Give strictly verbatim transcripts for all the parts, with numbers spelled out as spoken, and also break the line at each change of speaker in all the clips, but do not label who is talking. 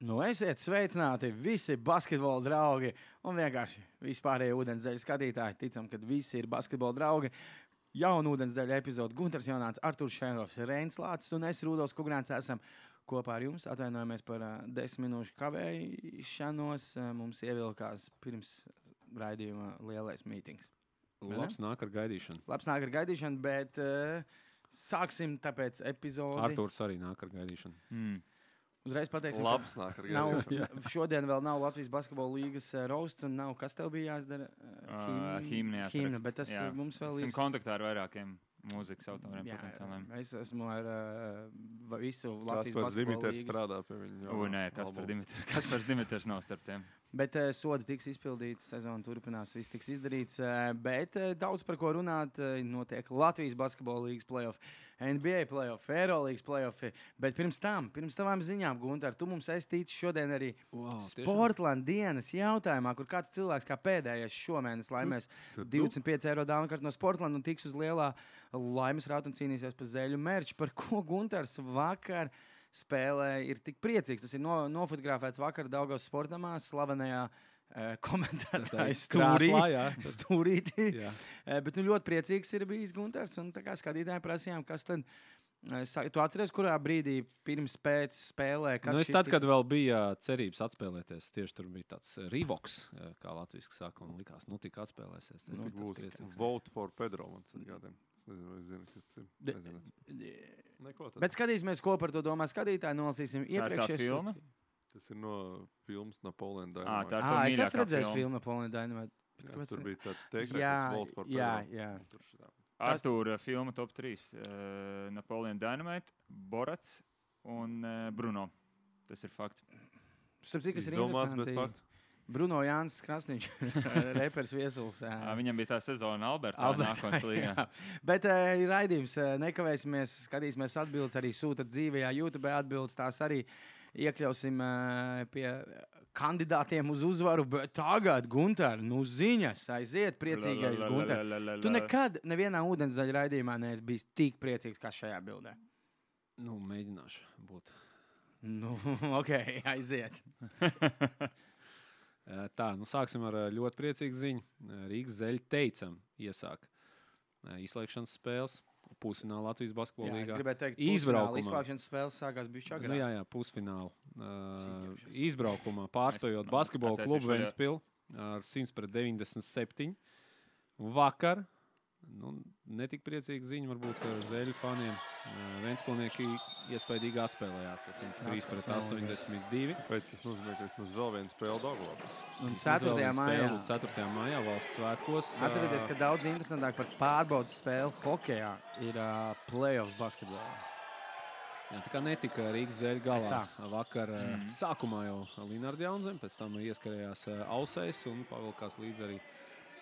Nu, esiet sveicināti visi basketbola draugi un vienkārši vispārējie ūdenszeļu skatītāji. Ticam, ka visi ir basketbola draugi. Jaunu ūdenszeļu epizodu Gunters Jonāts, Arturs Šenhovs, Reinis Lācis un es, Rudolfs Kugrāns, esam kopā ar jums. Atvainojamies par uh, desmit minūšu kavēšanos. Uh, mums ievilkās pirms raidījuma lielais mītings.
Labs nāk ar gaidīšanu.
Labs nāk ar gaidīšanu, bet uh, sāksim tāpēc epizodi.
Arturs arī nāk ar gaidīšanu.
Mm.
Uzreiz pateiksim,
Labs nāk ar
nav,
gaidīšanu.
šodien vēl nav Latvijas basketbola līgas uh, roasts un nav, kas tev bija jāizdara?
Uh, Hīmni
Hīmna, bet tas jā. Mums vēl
Esam
ir...
kontaktā ar vairākiem mūzikas autoriem
Jā,
potenciāliem.
es esmu ar uh, visu Latvijas
Kaspars
basketbola
Dimiters
līgas.
strādā pie viņa.
U, nē, Kaspars Dimiters, Kaspars Dimiters nav starp tiem.
Bet uh, sodi tiks izpildīts, sezona turpinās, viss tiks izdarīts. Uh, bet uh, daudz par ko runāt. Uh, notiek Latvijas basketbola līgas playoff, N B A playoff, Eirolīgas playoff. Bet pirms tam, pirms tavām ziņām, Gunter, tu mums esi ticis šodien arī
Wow,
Sportland dienas jautājumā, kur kāds cilvēks kā pēdējais šomēnes laimēs divdesmit pieci eiro dāvanu kartu no Sportland un tiks uz lielā laimes rauta un cīnīsies par zeļu merču, par ko Gunters vakar spēlē ir tik priecīgs. Tas ir no, nofotografēts vakar Daugavas sportamā, slavenajā uh, komentētāja stūrī, stūrītī. Uh, bet nu, ļoti priecīgs ir bijis Gunters. Un tā kā skatītāji prasījām, kas tad... Uh, tu atceries, kurā brīdī pirms pēc spēlē?
Nu, es tad, kad vēl bija cerības atspēlēties, tieši tur bija tāds Rivoks, kā latviski saka, un likās, nu tik atspēlēsies.
Nu, tik būs Vote for Pedro, man gādiem. Es nezinu, vai es zinu, kas tas ir. Nezinu. Neko tad.
Bet skatīsimies, ko par to domā skatītāji. Nolasīsim iepriekšējos.
Tā ir tā filma?
Tas ir no filmas Napoleon
Ā,
Dynamite.
tā ir
Ah,
tā
es esmu redzējis
filma.
filmu Napoleon Dynamite. Bet
Jā,
kāpēc
tur
ne?
bija tāds teikts,
Jā,
kas Vote for Pedro.
jā, jā.
Tur šitā.
Artūra filma top trīs. Uh, Napoleon Dynamite, Borats un uh, Bruno. Tas ir fakts.
Starp cik, kas ir
Izdomāts, bet
interesanti.
fakts.
Bruno Jānis Krasniņš, repers viesuls.
Uh, viņam bija tā sezona Albertā,
Albertā,
nākotnes līgā.
jā. Bet uh, ir raidījums, uh, nekavēsimies, skatīsimies atbildes, arī sūtat dzīvajā YouTube atbildes, tās arī iekļausim uh, pie kandidātiem uz uzvaru, bet tagad, Gunter, nu ziņas, aiziet priecīgais Gunter. Tu nekad nevienā ūdenszaļa raidījumā neesi bijis tik priecīgs kā šajā bildē.
Nu, mēģināšu būt.
Nu, ok, aiziet.
Tā, nu sāksim ar ļoti priecīgu ziņu. Rīgas zeļi teicam iesāk izslēgšanas spēles. Pusfināla Latvijas basketbola
Jā, es
līgā.
gribēju teikt,
Izbraukumā.
izslēgšanas spēles sākās bišķi agrāk.
Nu, jā, jā, pusfināla. Uh,
Cīņķieši.
izbraukumā pārstojot
Es-
basketbola
es
klubu
šajā-
Ventspili ar simts pret deviņdesmit septiņi. Vakar, nu, netik priecīga ziņa varbūt uh, zeļu faniem. Uh, Ventspilnieki iespējīgi atspēlējās. Tas ir trīs pret astoņdesmit divi.
Bet tas nozīmē, ka mums vēl viena spēle Daugavā.
Un ceturtajā mājā.
ceturtajā mājā valsts svētkos.
Atcerieties, ka daudz interesantāk par pārbaudas spēli hokejā ir uh, playoffs basketbolā.
Jā, tā kā netika Rīgas zeļu galā.
Tā.
Vakar
Mhm.
mm. sākumā jau Linārds Jaunzem, pēc tam ieskarējās uh, Ausais un pavilkās līdz arī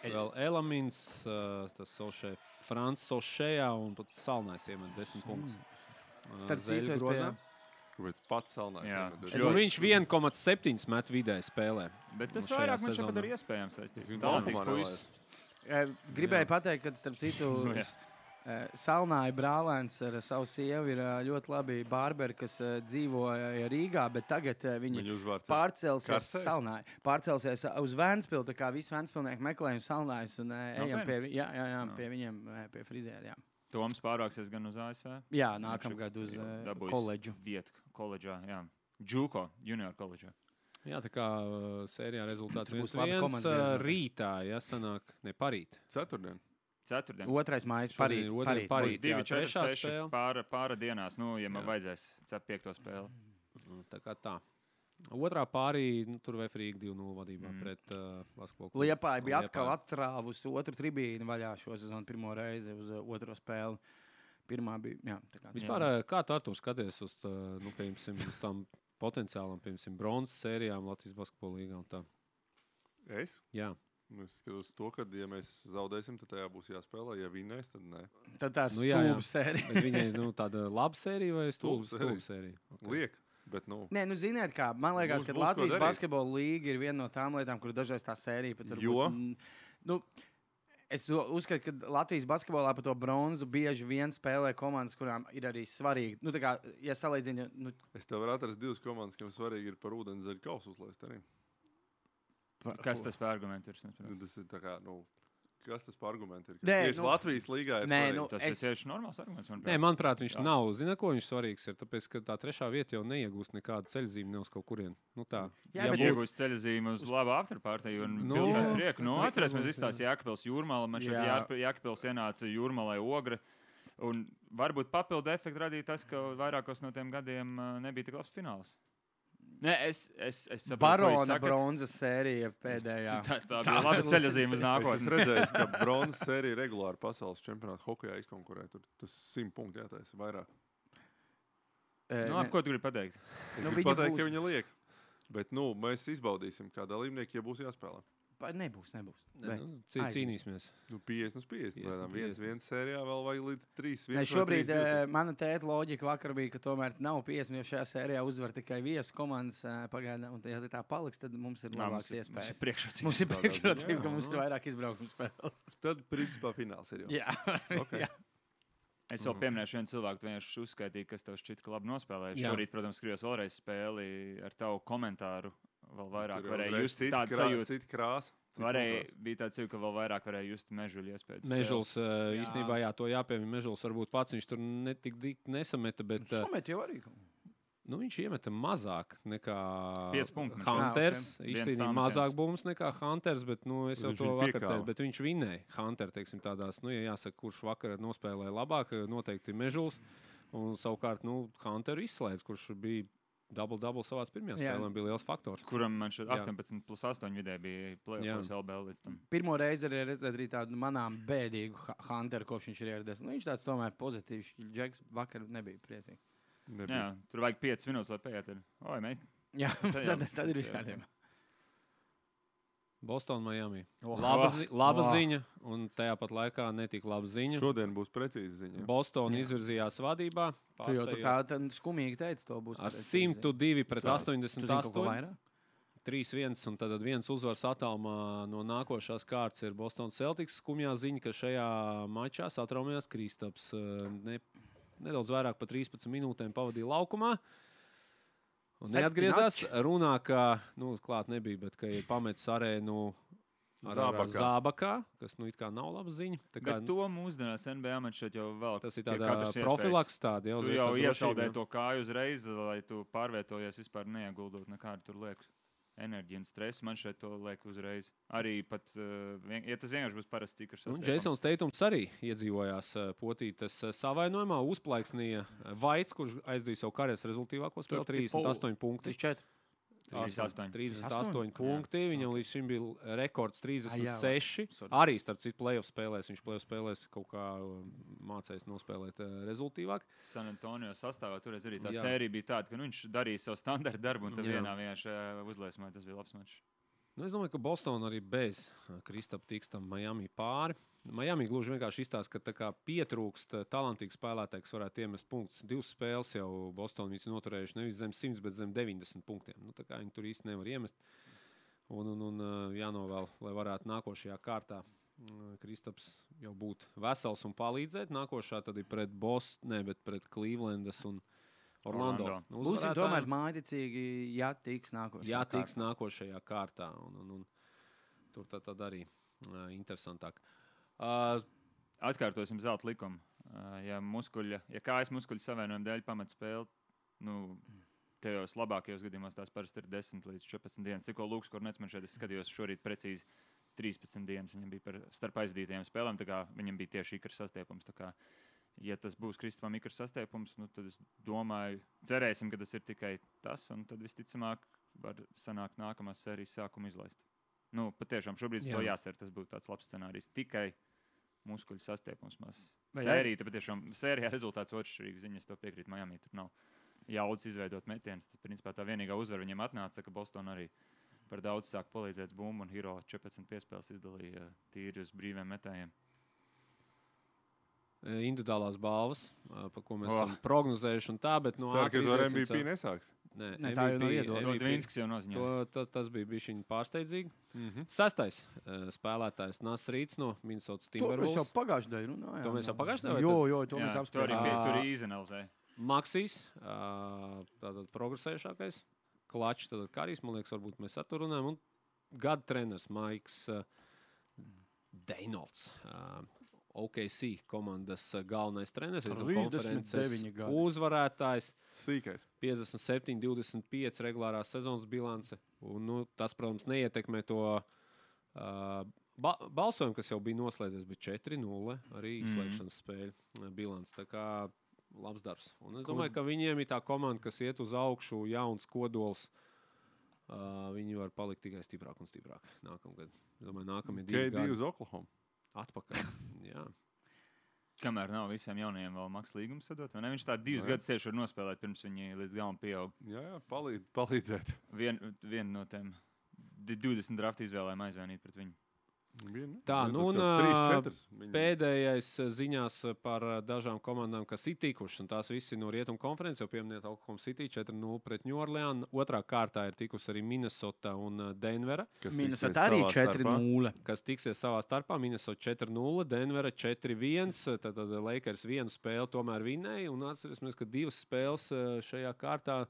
vēl Elamins, uh, tas Sošē, Frans Sošējā un pat Salnais iemet desmit punktus. Uh,
Starp
zeļu
citu, es
grozā.
pie-
Kāpēc pats salnājs?
Jā.
Es nu, viņš viens komats septiņi met vidēji spēlē.
Bet tas
Nu, šajā
vairāk man
sezonā.
šeit ir iespējams. Es
Tas
ticu,
viņa
talantīgs
laukumā
puisis.
Eh, Gribēju
Jā.
pateikt, ka starp citu
Nu, jā.
eh, Salnāja brālēns ar savu sievu ir eh, ļoti labi bārberi, kas eh, dzīvo eh, Rīgā, bet tagad eh, viņi
Viņa uzvārds.
pārcelsies
Karstais?
Salnāja. Pārcelsies uz Ventspilu, tā kā visi Ventspilnieki meklējam Salnājas un eh, ejam
Nopietni?
pie, vi- jā, jā, jā,
Jā.
pie viņiem, eh, pie frizēra, jā.
Toms pārvāksies gan uz A S V.
Jā, nākamgad uz eh,
Dabūjis
koledžu.
Vietu koledžā, jā. Džuko, junior koledžā.
Jā, tā kā uh, sērijā rezultāts
Tur būs
viens
laba
viens.
komanda
Uh,
vienmēr.
rītā, ja sanāk, ne parīt.
Ceturtdien.
Ceturtdien.
Otrais mājas parīt.
Šodien ir otrā
parīt.
parīt.
Būs divi,
jā,
četri,
trešā
seši
spēle.
pāra, pāra dienās, nu, ja man
Jā.
vajadzēs cep piekto spēli.
Nu, Tā kā tā. Otrā pārī, nu, tur Vefrīga divi nulle vadībā
Mm.
mm. pret uh, basketbolu klubu.
Liepāja bija atkal
Liepāja.
atrāvusi otru tribīnu vaļā šo sezonu pirmo reizi uz uh, otro spēli. Pirmā bija, jā, tā kā.
Vispār, uh, kā tu ar to skaties uz, tā, nu, piemēram, uz tām potenciālām, piemēram, bronzas sērijām Latvijas basketbola līgā un tā?
Es?
Jā.
Nu, Es skatos to, ka, ja mēs zaudēsim, tad tajā būs jāspēlē. Ja vinnēs, tad nē.
Tad tā ir
Nu, jā, jā.
stūba sērija.
Bet viņai nu, tāda laba sērija vai
Stulba
stulba stulba sērija? Okay.
Liek. Bet, nu,
Nē, nu, ziniet, kā man liekas,
Būs-
ka
būs ko
Latvijas
darīt.
basketbola līga ir viena no tām lietām, kur dažreiz tā sērija pat var
Jo?
būt. Nu, Es uzskatu, ka Latvijas basketbolā par to bronzu bieži vien spēlē komandas, kurām ir arī svarīgi. Nu, tā kā, ja salīdzina... Nu...
Es tev varu atrast divas komandas, kam svarīgi ir par ūdens zaļu kausu uzlaist arī.
Pa, kas tas par argumentu ir?
Nu, tas ir tā kā, nu... Kas tas par argumentu ir?
Nē,
tieši
nu,
Latvijas līgā ir
nē,
svarīgi.
nu,
Tas
es...
ir tieši normāls arguments. Manuprāt.
Nē, manuprāt, viņš
Jā.
nav. Zina, ko viņš svarīgs ir? Tāpēc, ka tā trešā vieta jau neiegūst nekādu ceļzīmi ne uz kaut kurien. Nu tā.
Jā,
Ja
bet-
iegūst ceļzīmi uz labu afterpartiju un
Nu,
pilsētas prieku. Nu,
jā.
atcerēsimies, izstāsta Jēkabpils Jūrmala. Man šeit
Jā.
Jā. Jēkabpils ienāca Jūrmalai Ogre. Un varbūt papildu efektu radīja tas, ka vairākos no tiem gadiem uh, nebija tik labs fināls. Nē, es, es, es saprotu, ko
Barona
jūs sakat.
bronzas sērija pēdējā.
Tā, tā bija laba ceļzīme uz
Es
nākotni.
esmu redzējis, ka bronzas sērija regulāri pasaules čempionāta hokejā izkonkurē. Tur tas simt punkti jātaisa vairāk.
E,
Nu,
ne-
labi, ko tu gribi pateikt?
Es
Nu,
gribu
viņa
pateikt,
būs-
ka viņa liek. Bet, nu, mēs izbaudīsim, kā dalībnieki, ja būs jāspēlē.
Pa- Nebūs, nebūs.
Ne,
Bet.
nu, cī,
Aizmirst.
cīnīsimies.
Nu, piecdesmit uz piecdesmit.
piecdesmit,
Lēnām. Viens,
piecdesmit.
viens sērijā vēl vajag līdz trīs.
Ne,
viens vai
šobrīd
trīs, divi.
uh, mana tēta loģika vakar bija, ka tomēr nav piecdesmit, jo šajā sērijā uzvar tikai viesu komandas uh, pagaidām. Un, ja tā paliks, tad mums ir
Nā,
labāks
mums ir- mums ir
iespējas.
priekšrocība.
Mums ir
tādā
priekšrocība,
ziņā,
ka mums
jā.
ir vairāk izbraukuma spēles.
Tad, principā, fināls ir jau.
Jā,
Ok.
jā.
Es vēl pieminēšu vienu cilvēku, tu vienkārši uzskaitīji, kas tev šķiet, ka labi nospēlēja.
Jā.
Šorīt, protams, skribos vēlreiz spēli ar tavu komentāru. Vēl vairāk
Tur
varēja
uzreiz
just
cita
tādu
krā-
sajūtu.
Cita krāsa. cita
Varēja,
kontrasta.
bija tāds sajūta, ka vēl vairāk varēja just Mežuļu iespējas.
Mežuls uh,
Jā.
īstenībā, jā, to jāpiemina. Mežuls varbūt pats viņš tur netik dik nesameta, bet uh,
Sumet jau arī.
nu, viņš iemeta mazāk nekā
Pieci punkti viņš
Hunters.
Ah, ok. Viens
Īstenībā
tā
mazāk
metiens.
bums nekā Hunters, bet nu, es
Bet
jau
viņš
to
viņu
vakar
piekāva.
teicu. Bet viņš vinēja. Hunter, teiksim, tādās, nu, ja jāsaka, kurš vakar nospēlēja labāk, noteikti Mežuls. Un savukārt, nu, Hunteru izslēdz, kurš bija double-double savās pirmajās
Jā.
spēlēm, bija liels faktors.
Kuram man šeit
Jā.
astoņpadsmit plus astoņi vidē bija plēsoņas L B L līdz tam.
Pirmo reizi arī redzēt arī tādu manām bēdīgu Ha- Hunteru, kopš viņš ir ieradies. Nu, viņš tāds tomēr pozitīvs. Džeks vakar nebija priecīgs.
Nebija.
Jā, tur vajag piecas minūtes, lai paiet. Oi, meit.
Jā,
Tad jau-
tad, tad ir viss
jā.
kārtībā.
Boston, Miami.
Oh.
Laba,
Oh.
zi laba
Oh.
ziņa, un tajā pat laikā netika laba ziņa.
Šodien būs precīzi ziņa.
Boston
Jā.
izvirzījās vadībā.
Tu jau tur
pārspējot
tā tā skumīgi teici, to būs.
Ar
pareizi.
simtu divi pret
Tu- Tu zini kaut ko
astoņdesmit astoņi.
vairāk?
trīs viens, un tad viens uzvars attālumā no nākošās kārtas ir Boston Celtics. Skumjā ziņa, ka šajā mačā satraumējās Kristaps. eh, Ne, nedaudz vairāk par trīspadsmit minūtēm pavadīja laukumā. Un neatgriezās. Runā, ka, nu, klāt nebija, bet ka ir pametis arēnu ar, ar, ar
Zābakā.
Zābakā, kas, nu, it kā nav laba ziņa. Tā kā,
Bet to mūsdienās N B A man šeit jau vēl.
tas ir
pie
tādā
katras iespējas.
profilaks tāda. Jau,
Tu
uzreiz
jau
tā drošība,
iesaldēji
jā.
to kāju uzreiz, lai tu pārvietojies vispār neieguldot nekādu tur lieku enerģiju un stresu. Man šeit to liek uzreiz. Arī pat, uh, vien, ja tas vienkārši būs parasts cikrs.
Un Jasons Teitums arī iedzīvojās eh, potītas eh, savainojumā, uzplaiksnīja eh, Vaits, kurš aizdīja savu karjeras rezultīvāko spēli, trīsdesmit astoņi punkti.
trīs četri.
trīsdesmit astoņi.
trīsdesmit
astoņi?
astoņi punkti. Viņam līdz šim bija rekords trīsdesmit seši.
Sorry.
Arī starp citu playoff spēlēs. Viņš playoff spēlēs kaut kā um, mācējis nospēlēt uh, rezultīvāk.
San Antonio sastāvā toreiz arī tā
Jā.
sērija bija tāda, ka nu, viņš darīja savu standarta darbu un tad
Jā.
vienā vienkārši uh, uzliesmoja. Tas bija labs mačs.
Nu, es domāju, ka Bostonā arī bez uh, Kristapa tiks tam Miami pāri. Miami gluži vienkārši izstāsta, ka tā kā pietrūkst uh, talantīgs spēlētājs, kas varētu iemest punktus. Divas spēles jau Bostonā viņi noturējuši nevis zem simts, bet zem deviņdesmit punktiem. Nu, tā kā viņi tur īsti nevar iemest. Un, un, un uh, jānovēl, lai varētu nākošajā kārtā uh, Kristaps jau būt vesels un palīdzēt. Nākošā tad ir pret Bostonu, ne, bet pret Clevelandas un Orlando.
Orlando.
Nu,
Būsim
uzvarētājiem-
tomēr mājdicīgi, ja tiks nākošais.
Jā, tiks nākošajā kārtā. Un, un, un, tur tad, tad arī uh, interesantāk. Uh,
Atkārtosim zelta likumu. Uh, ja, muskuļa, ja kājas muskuļu savienojuma dēļ pamat spēli, nu, tajos labākajos gadījumos tās parasti ir desmit līdz četrpadsmit dienas. Tikko Lūks Kornets man šeit, es skatījos šorīt precīzi trīspadsmit dienas. Viņam bija par starp aizdītajiem spēlēm, tā kā viņam bija tieši ikra sastiepums. Tā kā, ja tas būs Kristupam ikra sastiepums, nu, tad es domāju, cerēsim, ka tas ir tikai tas, un tad visticamāk var sanākt nākamās sērijas sākumu izlaist. Nu, patiešām šobrīd
Jā.
to jācer, tas būtu tāds labs scenārijs. Tikai muskuļu sastiepums.
Vai
Sērija, tad patiešām sērijā rezultāts otršķirīgs ziņas, to piekrīt Miami. Tur nav jaudas izveidot metienus. Tas, principā, tā vienīgā uzvara viņiem atnāca, ka Boston arī par daudz sāk palīdzēt bumbu, un Hero četrpadsmit piespēles izdalīja tīri uz brīviem metējiem.
individuālās balvas, uh, par ko mēs
Oh.
esam prognozējuši un tā, bet
Nu,
no
Ceru, ka tu ar
ātri
M V P
iziesim
nesāks.
Nē,
Nē, tā jau nav
M V P
iedota.
To Dvīnskis jau noziņoja.
To, ta, tas bija bijis pārsteidzīgi.
Mhm.
Sastais uh, spēlētājs Nas Rīts no Minnesotas
To mēs jau
Timberwolves.
pagājušajā gadā runājām.
To mēs jau pagājušajā gadā?
Jo, jo, to
Jā,
mēs
tur arī
apspriedām.
bija,
Ā.
tur arī izanalizēja.
Maksīs, uh, tātad progresējušākais. Klačs, tad Kārijs, man liekas, varbūt mēs ar to runājam. Un gada treneris Maiks uh, Deinolds. Uh, O K C komandas galvenais treneris,
trīsdesmit deviņi gadi.
uzvarētājs,
Sīkais.
piecdesmit septiņi, divdesmit pieci regulārās sezonas bilance. Un, nu, tas, protams, neietekmē to uh, ba balsojumu, kas jau bija noslēdzies, bija četri nulle arī izslēgšanas spēļu uh, bilance. Tā kā labs darbs. Un es domāju, ka viņiem ir tā komanda, kas iet uz augšu, jauns kodols. Uh, viņi var palikt tikai stiprāk un stiprāk nākamgad. Es domāju, nākamie divi
K D
gadi
uz Oklahoma.
atpakaļ. Jā.
Kamēr nav visiem jaunajiem vēl maksas līgums sadot, vai ne? Viņš tā divus
Jā.
gadus tieši var nospēlēt, pirms viņi līdz galam pieaug.
Jā, jā, palīdz, palīdzēt.
Vien, vienu no tiem di- divdesmit draftu izvēlēm aizvainīt pret viņu.
Vienu,
Tā,
vienu,
nu un,
tāds trīs,
ā,
četrs viņam.
Pēdējais eh, ziņās eh, par eh, dažām komandām, kas ir tikušas, un tās visi no Rietumu konferences, jau pieminēt Oklahoma City četri nulle pret New Orleans. Otrā kārtā ir tikusi arī Minnesota un eh, Denvera,
Kas
Minnesota
tiksies
arī
savā
četri
starpā.
nulle.
kas tiksies savā starpā. Minnesota četri nulle, Denvera četri viens. Tad, tad Lakers vienu spēli tomēr vinnēja, un atcerēsimies, ka divas spēles eh, šajā kārtā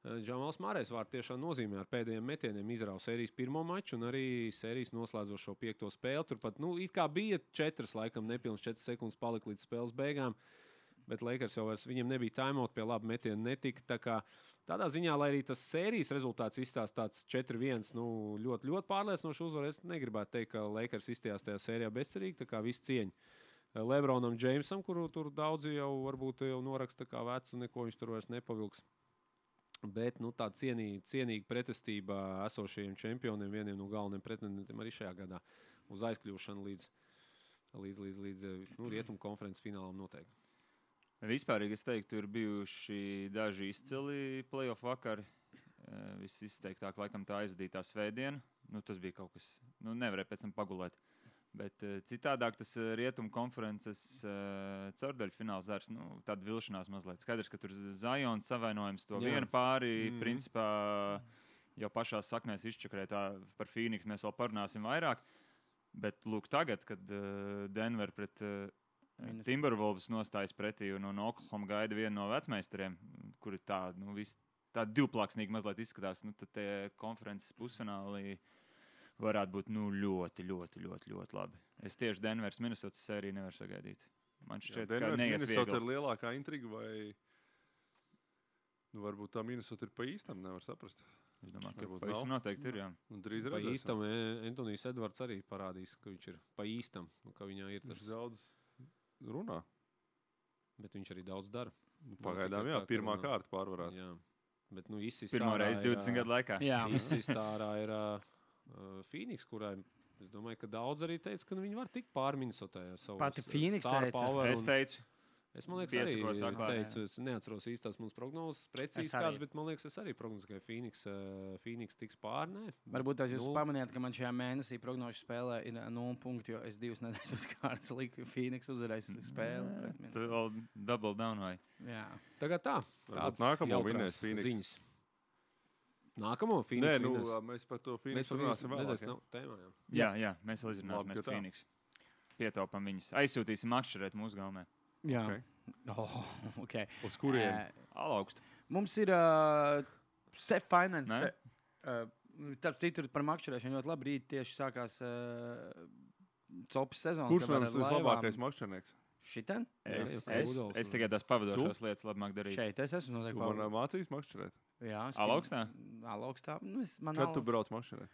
Džamals Mārējs vārds tiešām nozīmē ar pēdējiem metieniem izrauga sērijas pirmo maču un arī sērijas noslēdzošo piekto spēli. Turpat, nu, it kā bija četras, laikam, nepilnas četras sekundes palika līdz spēles beigām, bet Lakers jau vairs viņiem nebija timeout, pie laba metiena netika. Tā kā tādā ziņā, lai arī tas sērijas rezultāts izstāsta tāds četri viens, nu, ļoti, ļoti pārliecinoši uzvar, es negribētu teikt, ka Lakers izstījās tajā sērijā bezcerīgi, tā kā viss cieņa Lebronam Jamesam, kuru tur daudzi jau varbūt jau noraksta kā vecu, neko viņš tur vairs nepavilks. Bet nu, tā cienīga, cienīga pretestība esošajiem čempioniem, vieniem no galvenajiem pretendentiem arī šajā gadā uz aizkļūšanu līdz, līdz, līdz, līdz nu, Rietumu konferences finālam noteikti.
Vispārīgi es teiktu, ir bijuši daži izcili playoff vakari. Eh, Viss izteiktāk, laikam, tā aizvadītā svētdiena. Nu, tas bija kaut kas, nu, nevarēja pēc tam pagulēt. Bet uh, citādāk tas uh, Rietumu konferences uh, caurdaļu fināls zārs, nu, tāda vilšanās mazliet. Skaidrs, ka tur Zajons savainojums to
Jā.
vienu pāri,
Mm.
mm. principā jau pašās saknēs izčakrē tā par Phoenix, mēs vēl parunāsim vairāk. Bet lūk tagad, kad uh, Denver pret uh,
Minnesota.
Timberwolves nostājas pretī un, un Oklahoma gaida vienu no vecmeistariem, kuri tā, nu, vis, tā divplāksnīgi mazliet izskatās, nu, tad tie konferences pusfinālī varētu būt nu, ļoti, ļoti, ļoti, ļoti labi. Es tieši Denveras Minnesotas sēriju nevaru sagaidīt. Man šķiet, ka neies
Minnesota ir
viegli.
lielākā intriga, vai nu, varbūt tā Minnesota ir pa īstam, nevar saprast.
Es domāju, ka
Varbūt
pavisam
nav.
noteikti ir, jā.
Un drīz
Pa
redzēsim.
īstam E- Antonijs Edvards arī parādīs, ka viņš ir pa īstam, un ka viņā ir
Viņš
tas,
daudz runā.
bet viņš arī daudz dara.
Nu, Pagaidām,
tikai
jā,
tā, ka
pirmā
runā.
kārta pārvarēta.
Jā, bet nu izsist
Pirmo
ārā
reizi
ir,
divdesmit gadu laikā.
Jā,
Izsist ārā ir uh, uh, Phoenix, kurai es domāju, ka daudz arī teica, ka nu, viņi var tikt pāri Minnesotai ar savu
Pati
s-
Phoenix
star
teica.
power
Es
un-
teicu,
Es man liekas,
Piesakos
arī
atklāti.
teicu, es neatceros īstās mūsu prognozes, precīzi
Es arī.
kāds, bet man liekas, es arī prognozēju, ka Phoenix, uh, Phoenix tiks pāri. Nē,
varbūt tās jūs
Nulle.
pamanījāt, ka man šajā mēnesī prognožu spēlē ir nulle punkti, jo es divas nedēļas pēc kārtas liku Phoenix uzvarēs spēli. pret
tu
Minnesota.
vēl double down vai?
Jā.
Tagad tā.
Varbūt
Tāds
nākamo
jautrās
vinnēs Phoenix.
ziņas. Nākamo Phoenix
Nē, nu,
vinnēs.
mēs par to
Mēs
Phoenix
par
runāsim
viņu
vēlāk.
nedēļas
jā.
nav tēmā. Jā.
Jā, jā, mēs vēl
Labi,
izrunāsimies
ka tā.
Phoenix. Pietaupam viņus. Aizsūtīsim makšķerēt mūsu galvenē.
Jā.
Ok.
Oh, okay.
Uz kuriem?
Eh,
Alaugst.
Mums ir uh, Sef Finance.
Ne?
Uh, Tāpēc citur par makšķerēšanu ļoti labi. Rīt tieši sākās uh, copas sezona.
Kurš
ka var
ir
ar laivām-
vislabākais makšķernieks?
Šitien?
Es,
Jā,
es,
Rudolfs
es
un-
tikai tās pavadošās lietas labāk darīju.
Šeit es esmu
Tu
noteikti.
man
pavadījis.
mācīs makšķerēt.
Jā, es
Alaugstā?
pie- Alaugstā. Nu, es, man
Kad tu
alaugst-
brauc makšķerēt?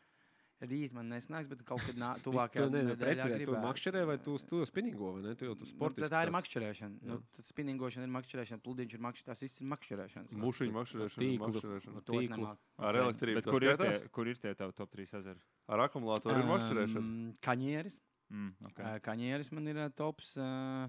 Rīt man nesnāks, bet kaut kad nā,
Tu
tuvākajā
ne, ne,
nedēļā
precizē, tu
gribētu.
makšķerē vai tu, tu spinningo, vai ne? Tu jau tu
Nu,
sportiski.
tā ir
tāds.
makšķerēšana. Nu,
Jā.
tad spinningošana ir makšķerēšana, pludiņš ir makšķerēšana. Tas viss ir makšķerēšana.
Mušiņu makšķerēšana. ir
tīklu.
makšķerēšana.
To es
tīklu.
nemāku.
Ar elektrību
Bet
tas
kur ir,
skaitās?
tie, kur ir tie tavi top trīs ezeri?
Ar akumulātoru ir makšķerēšana.
Um, Kaņieris.
Mm, okay.
Okay. Kaņieris man ir uh, tops. Uh,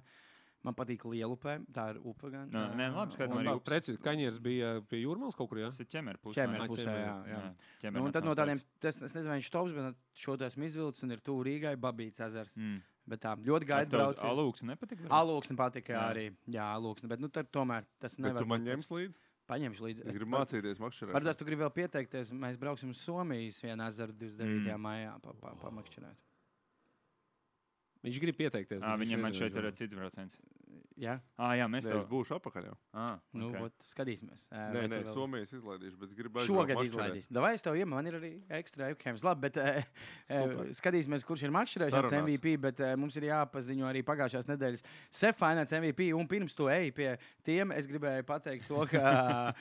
man patīk Lielupē. Tā ir upe gan.
Nē, nē, labi, skaidrs,
un-
man arī upe.
Precīzi, Kaņieris bija pie Jūrmālas kaut kur, jā?
Tas ir ķemeru pusē.
Ķemeru
vai ne?
pusē,
ķemeru.
jā. jā.
ķemeru
Nu, un tad no
nacionālais
tādiem, tas, es nezinu, vai viņš tops, bet šo to esmu izvilcis un ir tuvu Rīgai, Babīts ezers.
parks. Mm.
Bet tā ļoti gaida braucienu.
Alūks nepatīk?
Alūksne patika
Jā.
arī. Jā, alūksne. Bet nu, tad tomēr tas
Bet
nevar
tu man
būt
ņems
tas-
līdzi?
paņemšu līdzi.
Es gribu mācīties makšķerēt.
Varbūt tu gribi vēl pieteikties. Mēs brauksim uz Somijas vienu ezeru divdesmit devītajā Mm. maijā pa, pa, pa makšķerēt.
Viņš grib pieteikties.
À,
bet viņš
viņam man
nezina,
šeit ir
vai-
cits brauciens.
Jā,
Ah, jā, mēs
Nē,
to
es būšu apakaļ jau.
Ah,
nu,
okay.
ot, skatīsimies. Ā,
Nē,
vai
nē,
tu vēl-
Somijas izlaidīšu, bet es gribu
Šogad
makšķerēt.
izlaidīs. Davai, es tev iemu, man ir arī ekstra webcams. Labi, bet uh,
Super.
skatīsimies, kurš ir makšķerēšanas
Sarunāts.
M V P, bet uh, mums ir jāpaziņo arī pagājušās nedēļas Seffinēts M V P. Un pirms tu ej pie tiem, es gribēju pateikt to, ka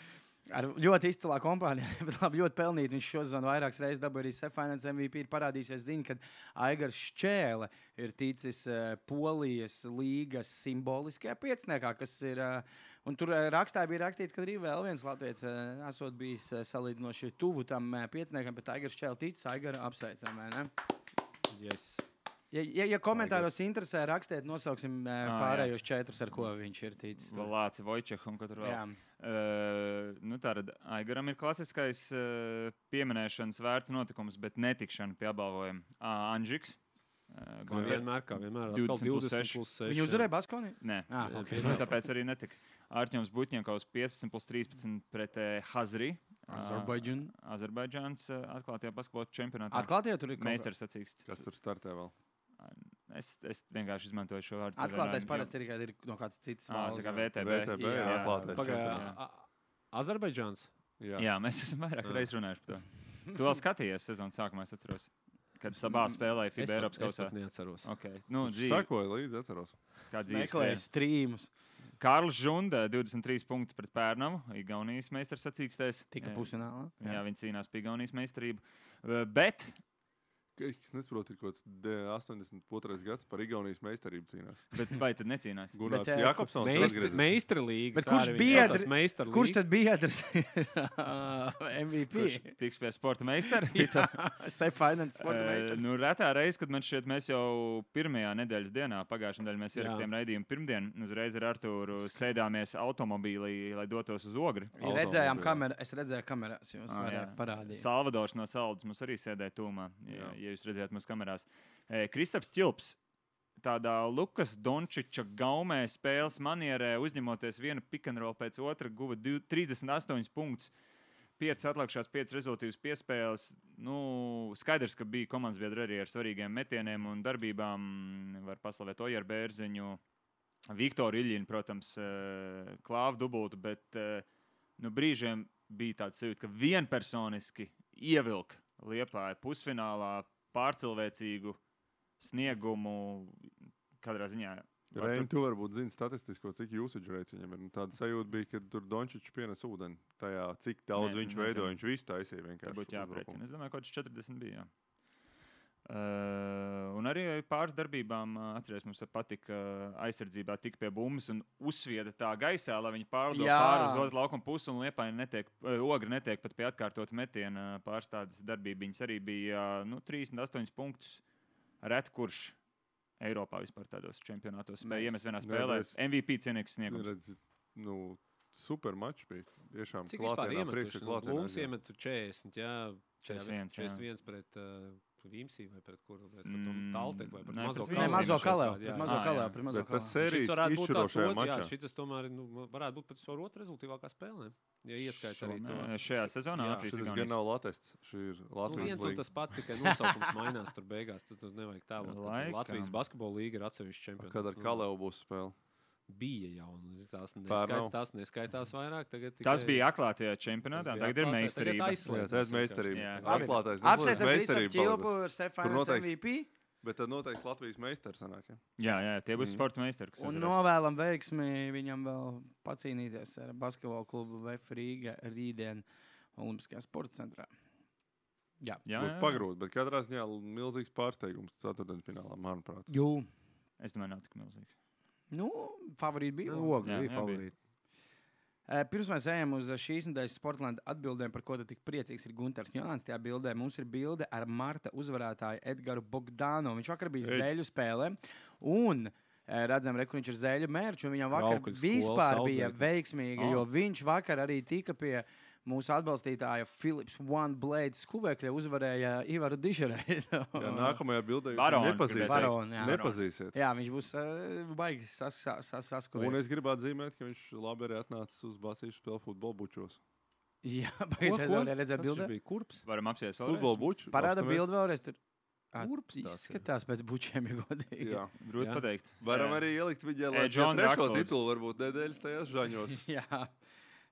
ar ļoti izcilā kompānijā, bet labi, ļoti pelnīt. Viņš šosezon vairākas reizes dabūja arī Seffinēts M V P. Ir parādīsies ziņa, ka Aigars Šķēle ir ticis uh, Polijas līgas simboliskajā pieciniekā, kas ir... Uh, Un tur uh, rakstā bija rakstīts, ka arī vēl viens latviečs uh, esot bijis uh, salīdzinoši tuvu tam uh, pieciniekam, bet Aigars Šķēle ticis, Aigara apsveicam, vai ne?
Yes.
Ja, ja, ja komentāros interesē, rakstiet, nosauksim uh,
Ah,
pārējos četrus, ar ko viņš ir ticis. tur.
Lāci Vojčehu un ko tur vēl.
Jā.
Uh, nu tātad Aigaram ir klasiskais uh, pieminēšanas vērts notikums, bet netikšana pie apbalvojuma. Uh, Anžiks. Uh,
Kā vienmēr, kā vienmēr.
divdesmit
Atkal
plus
divdesmit
seši.
plus seši.
Viņu uzvarēja Baskonī?
Nē,
Ah,
Jā,
okay.
nu, tāpēc arī netika. Artjoms Butņenkovs piecpadsmit plus trīspadsmit pret uh, Hazri.
Azerbaidžan.
Uh, Azerbaidžāns uh, atklātajā basketbola čempionātā.
Atklātie tur ir kaut
Meistars sacīksts.
Kas tur startē vēl?
Es, es vienkārši izmantoju šo vārdu.
Atklātais
savienojumu,
parasti ir, kad ir no kāds cits
jo- Ā, tā kā
valsts.
V T B.
V T B ir
Jā.
atklātais
Pagaidā.
čempionāts.
Azerbaidžāns.
Jā.
Jā, mēs esam vairāk
Jā.
reizes runājuši par to. Tu vēl skatījies sezonas sākumā, es atceros, kad sabā spēlēja
Es
FIBA
pat-
Eiropas
es
kausā.
pat neatceros.
Okay. Nu,
Nu,
dzīvi,
Sekoju līdzi, atceros.
kā dzīves
Meklēja
spēle.
strīmus.
Kārlis Žunda, divdesmit trīs punkti pret Pērnavu, Igaunijas meistars sacīkstēs.
Tika
Jā.
pusfinālā.
Jā, viņi cīnās par Igaunijas meistarību. Uh, Bet
Es nesaprotu, ir kaut kāds de- astoņdesmit otrais gads par Igaunijas meistarību cīnās.
Bet vai tad necīnās?
Gunārs
Bet, eh,
Jakobsons
Meistra,
atgriezies.
meistra līga.
Bet
tā
kurš
arī
bija
viņa saucās,
dr-
meistra
Kurš
līga?
tad bija tas M V P?
Kurš tiks pie sporta meistara?
Seffinēts sporta
Eh,
meistars.
Nu, retā reize, kad man šķiet, mēs jau pirmajā nedēļas dienā, pagājušajā nedēļā mēs
Jā.
ierakstījām raidījumu pirmdien, un uzreiz ar Artūru sēdāmies automobīlī, lai dotos uz Ogri.
Redzējām kamerā, es redzēju kamerās, jūs
Ah,
varētu
jā.
parādīt.
Salvadors no Saldus mums arī sēdēja tūmā, ja,
Jā.
ja jūs redzējāt mūsu kamerās. E, Kristaps Čilps. Tādā Lukas Dončiča gaumē spēles manierē, uzņemoties vienu pikantrolu pēc otra, guva div- trīsdesmit astoņus punktus. Piecas atlikušās, piecas rezultātus piespēles. Nu, skaidrs, ka bija komandas biedri arī ar svarīgiem metieniem un darbībām. Var paslavēt Ojaru Bērziņu, Viktoru Iļinu, protams, eh, Klāvu dubultu, bet eh, nu, brīžiem bija tāds sajūta, ka vienpersoniski ievilka Liepāja pusfinālā pārcilvēcīgu sniegumu katrā ziņā. var
Reini,
tur-
tu varbūt zini statistisko, cik usage rates viņam ir. Nu, tāda sajūta bija, ka tur Dončičs pienes ūdeni. Tajā, cik daudz
Ne,
viņš
nezinu.
veido, viņš visu taisīja
Tā
vienkārši.
būtu
uzbrukumu.
jāprēķina. Es domāju, ka kaut kas četrdesmit bija. Jā. Uh, un arī pāris darbībām, uh, atceries, mums patika uh, aizsardzībā tik pie bumbas un uzsvieda tā gaisā, lai viņi pārlido
Jā.
pāri uz otru laukuma pusi un Liepāja netiek, uh, Ogri netiek pat pie atkārtot metiena. Pāris tādas darbības arī bija uh, nu, trīsdesmit astoņus punktus. Ret kurš Eiropā vispār tādos čempionātos spēja iemest vienā
Nē,
spēlē.
es-
M V P cienīgs
Tu
sniegums.
redzi, nu, super mačs bija. Tiešām
Cik vispār
klātienē, priekšā
iemetuši?
klātienē
Lūks
aizgāja.
iemetu četrdesmit, jā.
četrdesmit viens, jā.
četrdesmit viens pret uh, Vīmsī vai pret kuru? Pret
Mm,
mm, Talteku vai pret
nē,
Mazo
pret
Nē,
Vīmsī.
mazo
Kalēju?
kalēju.
Jā,
Pret
jā.
mazo
Ah, jā.
kalēju. Pret mazo
Bet tas
kalēju.
sērijas
Šis varētu būt tāds
izšķirošajā
ot- jā,
mačā.
šitas tomēr nu, varētu būt pēc tam otra rezultāvākā spēlē. Ja ieskaita arī to.
Šonē- Šajā sezonā
Jā,
Latvijas
Šis
Igaunijas.
gan nav latests. Šī ir
Nu,
Latvijas
viens un
līga.
tas pats, tikai nosaukums mainās tur beigās. Tad tur nevajag tēlot. ka tur
Laikam.
Latvijas basketbola līga ir atsevišķs čempions.
Kad ar Kalēvu būs spēle.
Bija jau. un Tās,
Pār
neskait,
nav.
tās neskaitās vairāk. Tagad
Tas
tikai-
bija atklātajā čempionātā,
tas bija
tagad ir
atklātais,
meistarība.
tagad aizslēdzas
Jā, tā ir meistarība.
Jā.
Atklātais.
Apsveicam
meistarība
Kristapu Čilpu
palikusi.
ar Seffinēts M
noteikti-
V P.
Bet tad noteikti Latvijas meistars sanāk. Ja?
Jā, jā, tie būs
Mm.
sporta meistari. kas
Un
uzvarēs.
novēlam veiksmi viņam vēl pacīnīties ar basketbola klubu V F Rīga rītdien Olimpiskajā sporta centrā. Jā.
Jā,
Būs
jā, jā.
pagrūti, bet katrā ziņā milzīgs pārsteigums ceturtdaļfinālā, manuprāt.
Jū.
Es domāju, nav tik milzīgs.
Nu, favorīti bija.
Nu, Ogri
Jā,
bija
jā,
favorīti.
Eh, Pirms mēs ejam uz šīs nedēļas Sportlandes atbildēm, par ko tu tik priecīgs ir Gunters Jānis. Tajā bildē mums ir bilde ar Marta uzvarētāju Edgars Bogdānu. Viņš vakar bija
Ej.
zēļu spēlē. Un eh, redzam, re, kur viņš ir zēļu mērķis. Viņam vakar
Traukuļu skolas
vispār bija
audzēknis.
veiksmīgi,
Oh.
jo viņš vakar arī tika pie mūsu atbalstītāja Philips One Blade skuvekļa uzvarēja Ivaru Dižerēju.
Jā, nākamajā bildē jūs
Baroni,
nepazīsiet.
Baroni, jā.
Nepazīsiet.
Jā, viņš būs uh, baigi sas, sas, sas,
Un
saskojies.
es gribētu zīmēt, ka viņš labi arī atnācis uz Basīšu spēlu futbolu bučos.
Jā, baigi
Ko,
tad
ko?
vēl redzēt
Tas
bildē.
bija kurps.
Varam apsies
Futbolu buču.
Parāda
apstamies.
bildi vēlreiz. Tur Ā,
Kurps tāds ir.
izskatās pēc bučiem, ja godīgi.
Jā.
Grūti
Jā.
pateikt.
Varam
Jā.
arī ielikt viņai,
Ej,
lai
John
trešo
Draxlers.
titulu varbūt nedēļas tajās žaņos.
Jā.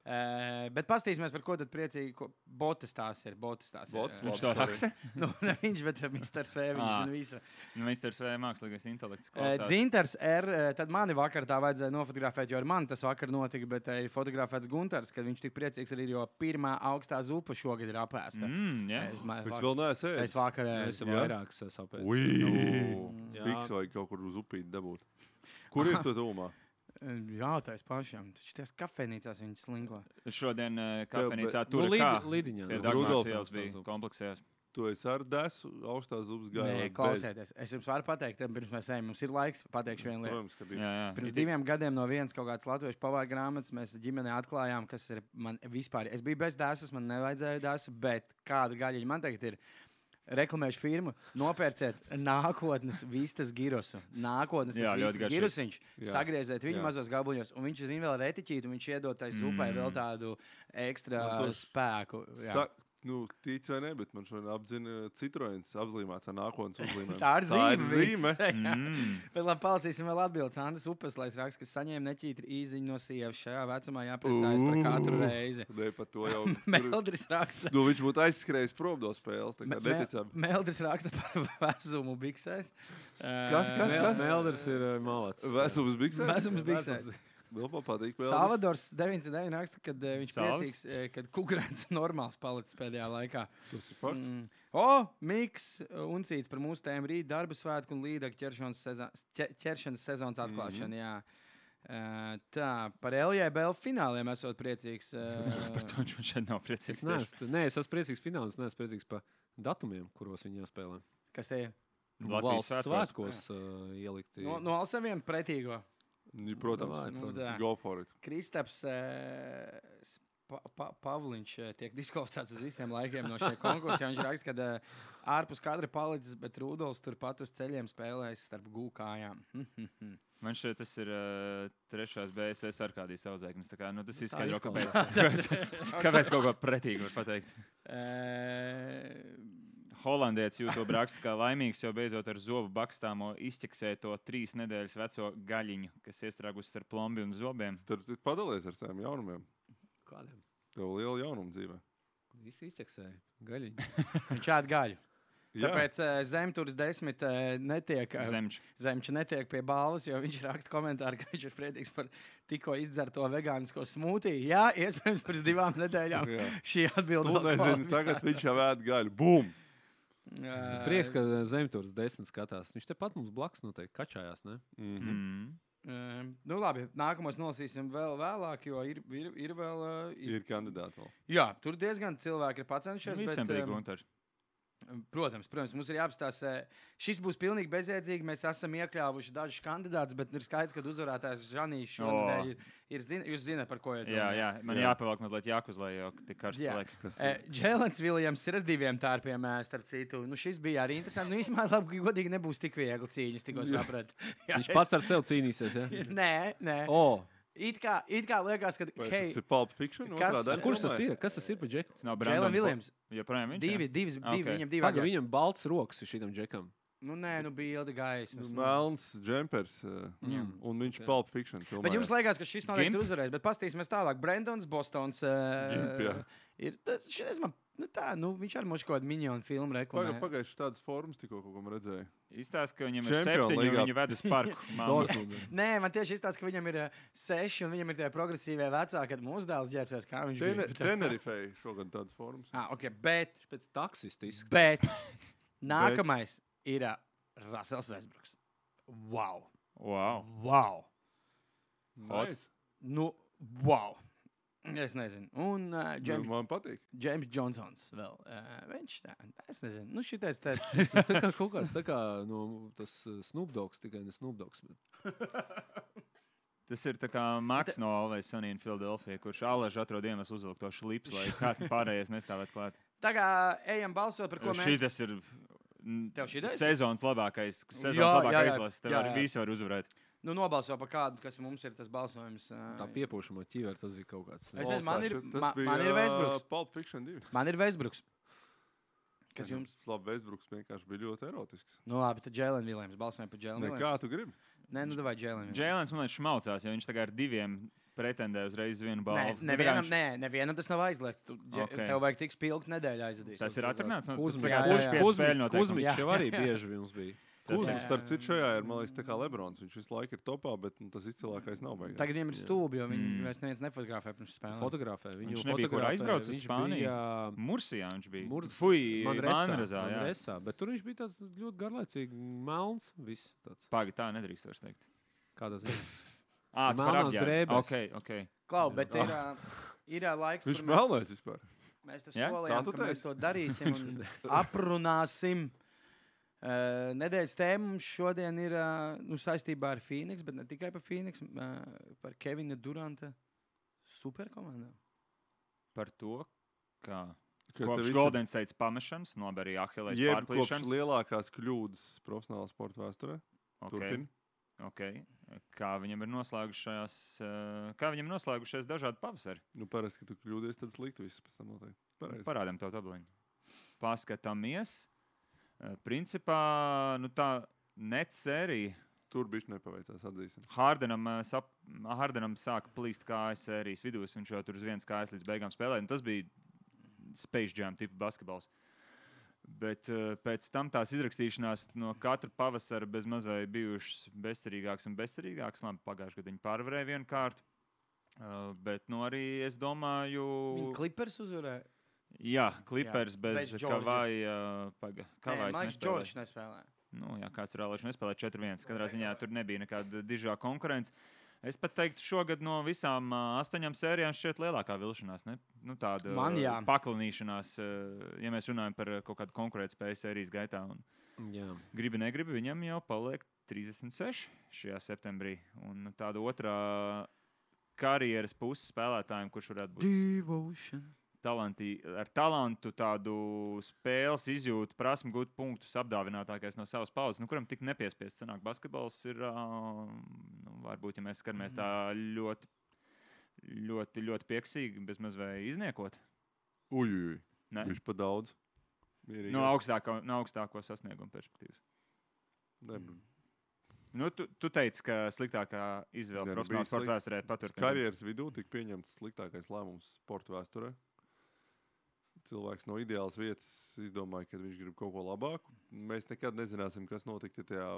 Uh, bet pastīsimies, par ko tad priecīgi. Ko... Botas tās ir. Botas tās
Botas,
ir.
Viņš to raksta.
Nu, ne viņš, bet misters V. Viņš
Ā.
zina visu.
Nu, viņš ir svei mākslīgais intelekts.
Uh,
klausās.
Dzintars R. uh, Tad mani vakar tā vajadzēja nofotografēt, jo ar mani tas vakar notika, bet uh, ir fotografēts Guntars, kad viņš tik priecīgs arī, jo pirmā augstā zupa šogad ir apēsta.
Mm, jā.
Es, ma-
Es
vak-
vēl neesmu
es
ēdis.
vakar
Es
ēdu.
esmu
Jā?
vairākas sapēs.
Ui!
Jā.
Fiks vajag kaut kur uz upīti dabūt. Kur ir tu tūmā?
Jautājas pašam. Taču tās kafejnīcās viņi slinko.
Šodien uh, kafejnīcā
bet-
tur
Nu,
ir kā.
Lidi- Lidiņā.
Pie
nu.
Dagmāras
Rudolfs
ielas bija
Rudolfs.
kompleksējās.
Tu esi ar desu augstās zubas
Nē,
gājā.
klausieties. Es jums varu pateikt, tad pirms mēs ejam. Mums ir laiks. Pateikšu vienu lietu.
Protams, ka bija.
Jā, jā.
Pirms diviem gadiem no vienas kaut kādas latviešu pavāra grāmatas mēs ģimenē atklājām, kas ir man vispār. Es biju bez dēsas, man nevajadzēja dēsu, bet kāda gaļiņa man tagad ir. Reklamēšu firmu, nopērciet nākotnes vistas girosu. Nākotnes
Jā,
tas
ļoti
vistas
garšīgi.
girusiņš.
Jā.
Sagrieziet viņu
Jā.
mazos gabuļos, un viņš zina vēl retiķīt, un viņš iedod tai zupai
Mm.
vēl tādu ekstra
Man tos-
spēku. Jā.
Sa nu, tic vai ne, bet man šodien apzina Citroens apzīmēts ar nākotnes uzlīmēm.
Tā ir zīme.
zīme.
viss, jā.
Mm.
Bet labi, palasīsim vēl atbildes. Andris Upes, lai es rakstu, ka saņēma neķītri īziņu no sievas. Šajā vecumā jāpriecājas par katru reizi.
Nē, par to jau. tur-
Meldris raksta.
Nu, viņš būtu aizskrējis prom no spēles. Tā kā
Me- me-
neticami.
Meldris raksta par vezumu biksēs.
Kas, kas,
Eh,
kas?
Melders ir uh, malacis.
Vesums biksēs?
Vezums biksēs.
Vēl man patīk. vēl.
Salvadors deviņdesmit deviņi raksta, ka uh, viņš
Salvs?
priecīgs, uh, kad kukurēns normāls palicis pēdējā laikā.
Tas ir fakts.
Mm. O, Miks un cits par mūsu tēmu rīt darba svētku un līdaka ķeršanas, sezon, ķer, ķeršanas sezonas atklāšanu. Mm -hmm. Uh, tā, par L J B L fināliem esot priecīgs. Uh,
Par to viņš šeit nav priecīgs.
Es neesmu, nē, es esmu priecīgs fināls, es neesmu priecīgs par datumiem, kuros viņi jāspēlē.
kas te ir?
Latvijas
Valsts
svētkos.
svētkos uh, ielikti.
No, no Alsaviem pretīgo.
Ja, Protams,
Davai,
Nu,
protams.
tā.
go for it.
Kristaps uh, pa, pa, Pavliņš uh, tiek diskvalificēts uz visiem laikiem no šiem konkursiem. Viņš raksta, ka uh, ārpus kadra palicis, bet Rudolfs turpat uz ceļiem spēlējas starp gūkājām.
Man šeit tas ir uh, trešās B S S ar kādīs auzēknis. Tā kā, nu, tas
Tā
izskaidro, kāpēc,
izklausās.
kāpēc, kāpēc kaut ko pretīgu var pateikt.
Uh,
Holandietis YouTube raksta, ka laimīgs jau beidzot ar zobu bakstāmo izķeksēja to trīs nedēļas veco gaļiņu, kas iestrāgusi starp plombi un zobiem.
Starp citu, padalies ar saviem jaunumiem.
Kādiem?
Tev liela jaunuma dzīvē.
Visi izķeksēja. Gaļiņi.
viņš ēd gaļu.
Jā.
Tāpēc uh, Zemtūras desmit uh, netiek, uh,
Zemč.
Zemča netiek pie balvas, jo viņš raksta komentāru, ka viņš ir priecīgs par tikko izdzerto vegānisko smūtiju. Jā, iespējams, pirms divām nedēļām
Jā.
šī atbilde
Nu, nezinu, tagad viņš jau ēd gaļu. Bum!
Uh,
Prieks, ka Zemtūras desmit skatās. Viņš tepat mums blakus noteikti kačājās, ne?
Mm -hmm.
Mm.
Uh, nu labi, nākamos nolasīsim vēl vēlāk, jo ir, ir, ir vēl. Uh, ir,
Ir kandidāti vēl.
jā, tur diezgan cilvēki ir pacenšies.
Visiem
bet,
bija
um,
Guntars.
Protams, protams, mums ir jāapstāsta. Šis būs pilnīgi bezjēdzīgi. Mēs esam iekļāvuši dažus kandidātus, bet ir skaidrs, ka uzvarētājs Žanīs šonadēļ
O.
ir. ir zin, jūs zināt, par ko ir
Jā, jā, man
Jā.
jāpavelk mazliet jākuzlē, jo tik karsts
Jā.
paliek.
Kas
Uh, Džēlens Viljams ir ar diviem tārpiem, ē, starp citu. Nu, šis bija arī interesants. Nu, īstenībā, labi, godīgi nebūs tik viegli cīņas, tikko sapratu. Jā,
Viņš pats ar sevi cīnīsies, ja?
Nē, nē.
O,
It kā, it kā liekas, ka.
Vai
Hei,
tas ir Pulp Fiction?
Kas-
otrā daļa,
kurš tas
domāju?
ir? Kas tas ir par džeku?
Tas nav
Džēlens
Brandon
Viljams.
Bo- Joprojām viņš?
Divi,
jā?
divi, divi,
Ok.
viņam divi.
Paga,
agenti.
viņam balts rokas ir šitam džekam.
Nu, nē, nu bija ilga
Nu,
gaisma.
Melns džempers. uh,
Mm.
Un viņš
Ok.
Pulp Fiction filmā.
Bet jums liekas, ka šis noteikti
Gimp?
uzvarēs. Bet paskatīsimies tālāk. Brendons, Bostons.
Gimp, jā.
Uh, ir, tas, šis, man, nu, tā, nu, viņš arī mums kaut kādu minionu filmu reklamē.
Pagājuši tādas formas tikko kaut kam redzēju.
Izstāsta, ka viņam ir
Champion
septiņi un
līgā.
viņu ved uz parku. Malmö.
Dortmund.
Nē, man tieši izstāsta, ka viņam ir uh, seši un viņam ir tie progresīvie vecāki, kad mūsu dēls ģērbsies. Kā viņš
Tene-
grib.
Tenerifei šogad tādas formas.
Ah, okay, bet,
Viņš pēc taksista izskatās.
bet nākamais ir uh, Rasels Vesbruks. Wow!
Wow.
Wow!
Hot.
Nice.
Nu, wow! Es nezinu. Un uh,
Nu,
James,
Man patīk.
James Johnsons vēl. Uh, viņš tā, es nezinu. Nu, šitais te.
Tā kā kaut kāds tā kā no tas uh, Snoop Dogs, tikai ne Snoop Dogs. Bet...
Tas ir tā kā Maks no Always Sunny in Philadelphia, kurš Aležu atrod iemeslu uzvilkt to šlips, lai kāds pārējais nestāvēt klāt.
Tagad ejam balsot par ko mēs...
Šitas ir
Tev šitais?
sezonas labākais, sezonas
Jā,
labākā
jā, jā.
izlase. Tev
Jā,
arī
jā.
visi var uzvarēt.
Nu, nobalso par kādu, kas mums ir tas balsojums. ā,
Tā piepūšamo ķiveri, tas bija kaut kāds.
Es nezinu, man ir,
Tas
ma,
bija,
man ir
ā,
Westbrooks.
Pulp Fiction divi.
Man ir Westbrooks. Kas jums?
Labi, Westbrooks vienkārši bija ļoti erotisks.
Nu labi, tad Jalen Williams. Balsojam par Jalen
Ne,
Williams.
kā tu gribi?
Nē, nu davai Jalen Williams.
Džēlens, man liekas, šmaucās, jo viņš tagad ar diviem pretendē uzreiz vienu
Nē,
balvu.
nevienam, nē, nevienam tas nav aizliegts. Tu, okay.
Okay.
Tev vajag tik spilgt nedēļā aizadīt.
Tas ir atrunāts. Nu, tas
Kuzmiņš
tagad
jā, jā.
seši pieci spēļu noteikums.
Kuzmiņš jau arī bieži mums bija.
Tas
Kuzmiņš,
ir-
starp citu, šajā ir, man liekas, tā kā Lebrons. Viņš visu laiku ir topā, bet nu, tas izcilākais nav beigās.
Tagad viņam ir stulbi, jo viņi
Mm.
vairs neviens nefotografē pirms spēlēm.
Fotografē. Viņu
Viņš nebija, kur
fotografē,
aizbraucis uz
viņš
Spāniju?
bija,
Mursijā viņš bija.
Mur-
Fui,
Manresā,
Manrezā, jā.
Manresā, bet tur viņš bija tāds ļoti garlaicīgi, melns, viss tāds.
Pagi, tā nedrīkst vairs teikt.
Kādā ziņā?
Ā, tu par
Melnās
apģērbu.
drēbes.
Ok, ok.
Klau, bet ir, ā, ir ā, laiks,
Viņš
kur mēs,
melnēs vispār.
mēs te
Ja?
solījām,
Kā tu
ka mēs
teici?
to darīsim un aprunāsim. Uh, nedēļas tēma mums šodien ir uh, nu, saistībā ar Phoenix, bet ne tikai par Phoenix, uh, par Kevina Duranta superkomandu.
Par to, kā
Ka
kopš
tev
Golden State pamešanas, no arī Ahilēs
Jeb kopš
pārplīšanas.
lielākās kļūdas profesionālā sporta vēsturē.
Okay.
Turpini.
Okay. Kā viņam ir noslēgušās, uh, kā viņam noslēgušies dažādi pavasari?
Nu, parasti, kad tu kļūdies, tad slikti viss pēc tam notiek. Pareizi.
Parādām tev tabliņu. Paskatāmies. Uh, principā, nu tā net sērija.
Tur bišķi nepaveicās, atzīsim.
Hardenam, uh, sap, Hardenam sāka plīst kājas sērijas vidūs. Viņš jau tur uz vienas kājas līdz beigām spēlēja. Un tas bija Space Jam tipa basketbols. Bet uh, pēc tam tās izrakstīšanās no katra pavasara bez mazliet bijušas bezcerīgākas un bezcerīgākas. Labi, pagājušajā gadā viņi pārvarēja vienu kārtu. Uh, bet nu, arī es domāju,
Viņa Clippers uzvarēja.
jā, Clippers
Jā,
bez
bez Georgia.
Kavaja. Paga,
Nē,
Kavajs
man liekas,
nespēlēja.
Džordžs nespēlēja.
Nu, jā, kāds ir Alēšs nespēlēja četri viens. Katrā ziņā tur nebija nekāda dižā konkurence. Es pat teiktu, šogad no visām uh, astoņām sērijām šķiet lielākā vilšanās. Ne? Nu, tāda
Man jā.
uh, paklinīšanās, uh, ja mēs runājam par uh, kaut kādu konkurētspēju sērijas gaitā. Un
Jā.
gribi, negribi, viņam jau paliek trīsdesmit seši šajā septembrī. Un tāda otrā karjeras puses spēlētājiem, kurš varētu būt
Devotion.
talanti, ar talantu, tādu spēles izjūtu, prasmu gūt punktus, apdāvinātākais no savas paudzes, nu, kuram tik nepiespiests sanāk basketbols, ir, uh, nu, varbūt, ja mēs skatāmies tā ļoti, ļoti, ļoti pieksīgi, bez mazvai izniekot.
Uj, uj, uj.
Ne?
Viņš pa daudz. Mierīgi.
No, augstāko, no augstāko sasniegumu perspektīvas.
Ne,
Nu, tu, tu teici, ka sliktākā izvēle
Jā, nu,
profesionālā
bija
sporta
slikt-
vēsturē patur.
Karjeras vidū tika pieņemts sliktākais lēmums sporta vēsturē. Cilvēks no ideālas vietas izdomāja, ka viņš grib kaut ko labāku. Mēs nekad nezināsim, kas notika, ja tajā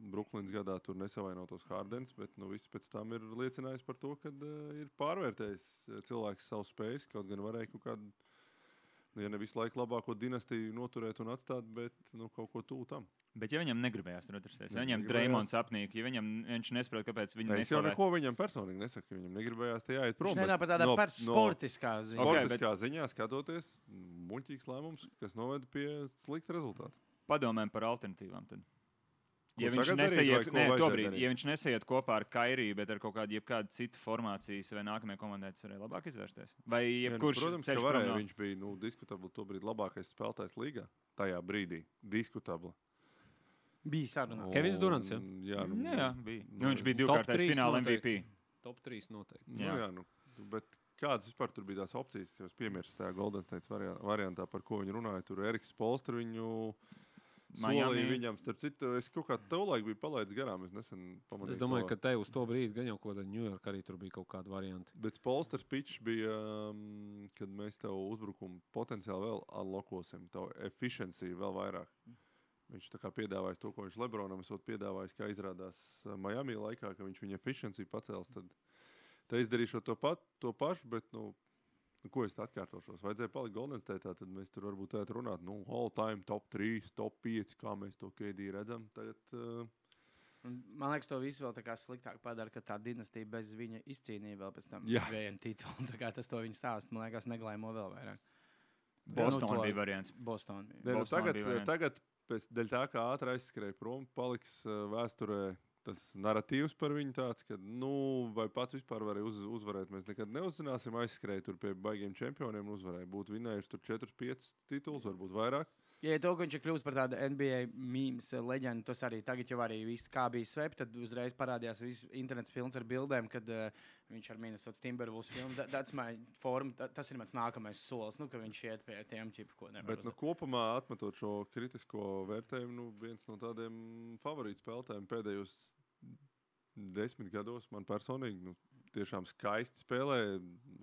Brooklynas gadā tur nesavainotos Hardens, bet nu, viss pēc tam ir liecinājis par to, ka uh, ir pārvērtējis uh, cilvēks savu spējas, kaut gan varēja kaut kādu, nu, ja ne visu laiku labāko dinastiju noturēt un atstāt, bet nu, kaut ko tuvu tam.
Bet ja viņam negribējās tur atrasties, ja
Ne,
viņam
negribējās.
Dreimons apnīk, ja viņam, viņš nesaprot, kāpēc viņi
Es jau
neslavē.
neko viņam personīgi nesaku. Viņam negribējās te jāiet prom.
Viņš
bet
nenāk par tādā
no-
par
no-
sportiskā ziņā.
Ok,
Sportiskā okay, ziņā skatoties, muļķīgs lēmums, kas noveda pie slikta rezultāta.
Padomājam par alternatīvām. Tad.
Ko
Ja viņš,
tagad darīt, vai
nesaiet,
ko
nē,
vajadzēja
tobrīd,
darīt?
ja viņš nesaiet kopā ar Kairiju, bet ar kaut kādu, kādu citu formācijas vai nākamajai komandai, tas varēja labāk izvērsties. Vai
Ja, nu,
jebkurš
protams, ka
ceļš prom
varēja.
no-
Viņš bija nu, diskutabli tobrīd labākais spēlētājs līgā. Tajā brīdī. Diskutabli.
Bija saruna.
Kevins Durants, ja?
Un, jā, nu,
Jā, jā, bija.
nu,
Nu, viņš bija
top
divkārtais
trīs
fināla
noteikti.
M V P.
Top trīs noteikti.
Nu,
Jā.
jā, nu, bet kādas vispār tur bija tās opcijas? Jūs piemirst tajā Golden State variantā, variantā, par ko viņi runāja. Tur Eriks Polster viņu solīja
Miami.
viņam. Starp citu, es kaut kā tolaik biju palaidis garām. Es nesen pamanīju.
Es domāju,
to.
ka te uz to brīdi gan jau kaut kāda Ņujorka arī tur bija kaut kāda varianta.
Bet Polsters pitch bija, um, kad mēs tev uzbrukumu potenciāli vēl unlockosim, tavu efficiency vēl vairāk. Viņš tā kā piedāvājis to, ko viņš Lebronam esot piedāvājis, kā izrādās uh, Miami laikā, ka viņš viņa efficiency pacels. Tad te izdarīšu to, pat, to pašu, bet, nu, nu, ko es tā atkārtošos? Vajadzēja palikt Golden State, tad mēs tur varbūt tādā runāt, nu, all time top trīs, top pieci, kā mēs to K D redzam. Tagad, uh,
Un man liekas, to visu vēl tā kā sliktāk padara, ka tā dinastija bez viņa izcīnīja vēl pēc tam
Jā.
vienu titulu. Tā kā tas to viņa stāsta, man liekas, neglaimo vēl vairāk.
Bostonā
Nu, to-
bija variants.
Boston bija.
ne, nu,
Bostonā
tagad,
bija variants.
tagad pēc dēļ tā, kā ātri aizskrēja prom, paliks uh, vēsturē tas narratīvs par viņu tāds, ka, nu, vai pats vispār varēja uz, uzvarēt. Mēs nekad neuzzināsim, aizskrēja tur pie baigiem čempioniem un uzvarēja. Būtu vinējuši tur četri pieci titulus, varbūt vairāk.
Ja to, ka viņš ir kļuvis par tādu N B A mīmīmas leģendu, tas arī tagad jau arī viss, kā bija svep, tad uzreiz parādījās viss internets pilns ar bildēm, kad uh, viņš ar Minnesota Timberwolves filmu. That, that's my form, that, tas ir mans nākamais solis, nu, ka viņš iet pie tiem ķipu, ko nevar.
Bet, nu, kopumā atmetot šo kritisko vērtējumu, nu, viens no tādiem favorītu spēlētājiem pēdējos desmit gados man personīgi, nu, tiešām skaisti spēlē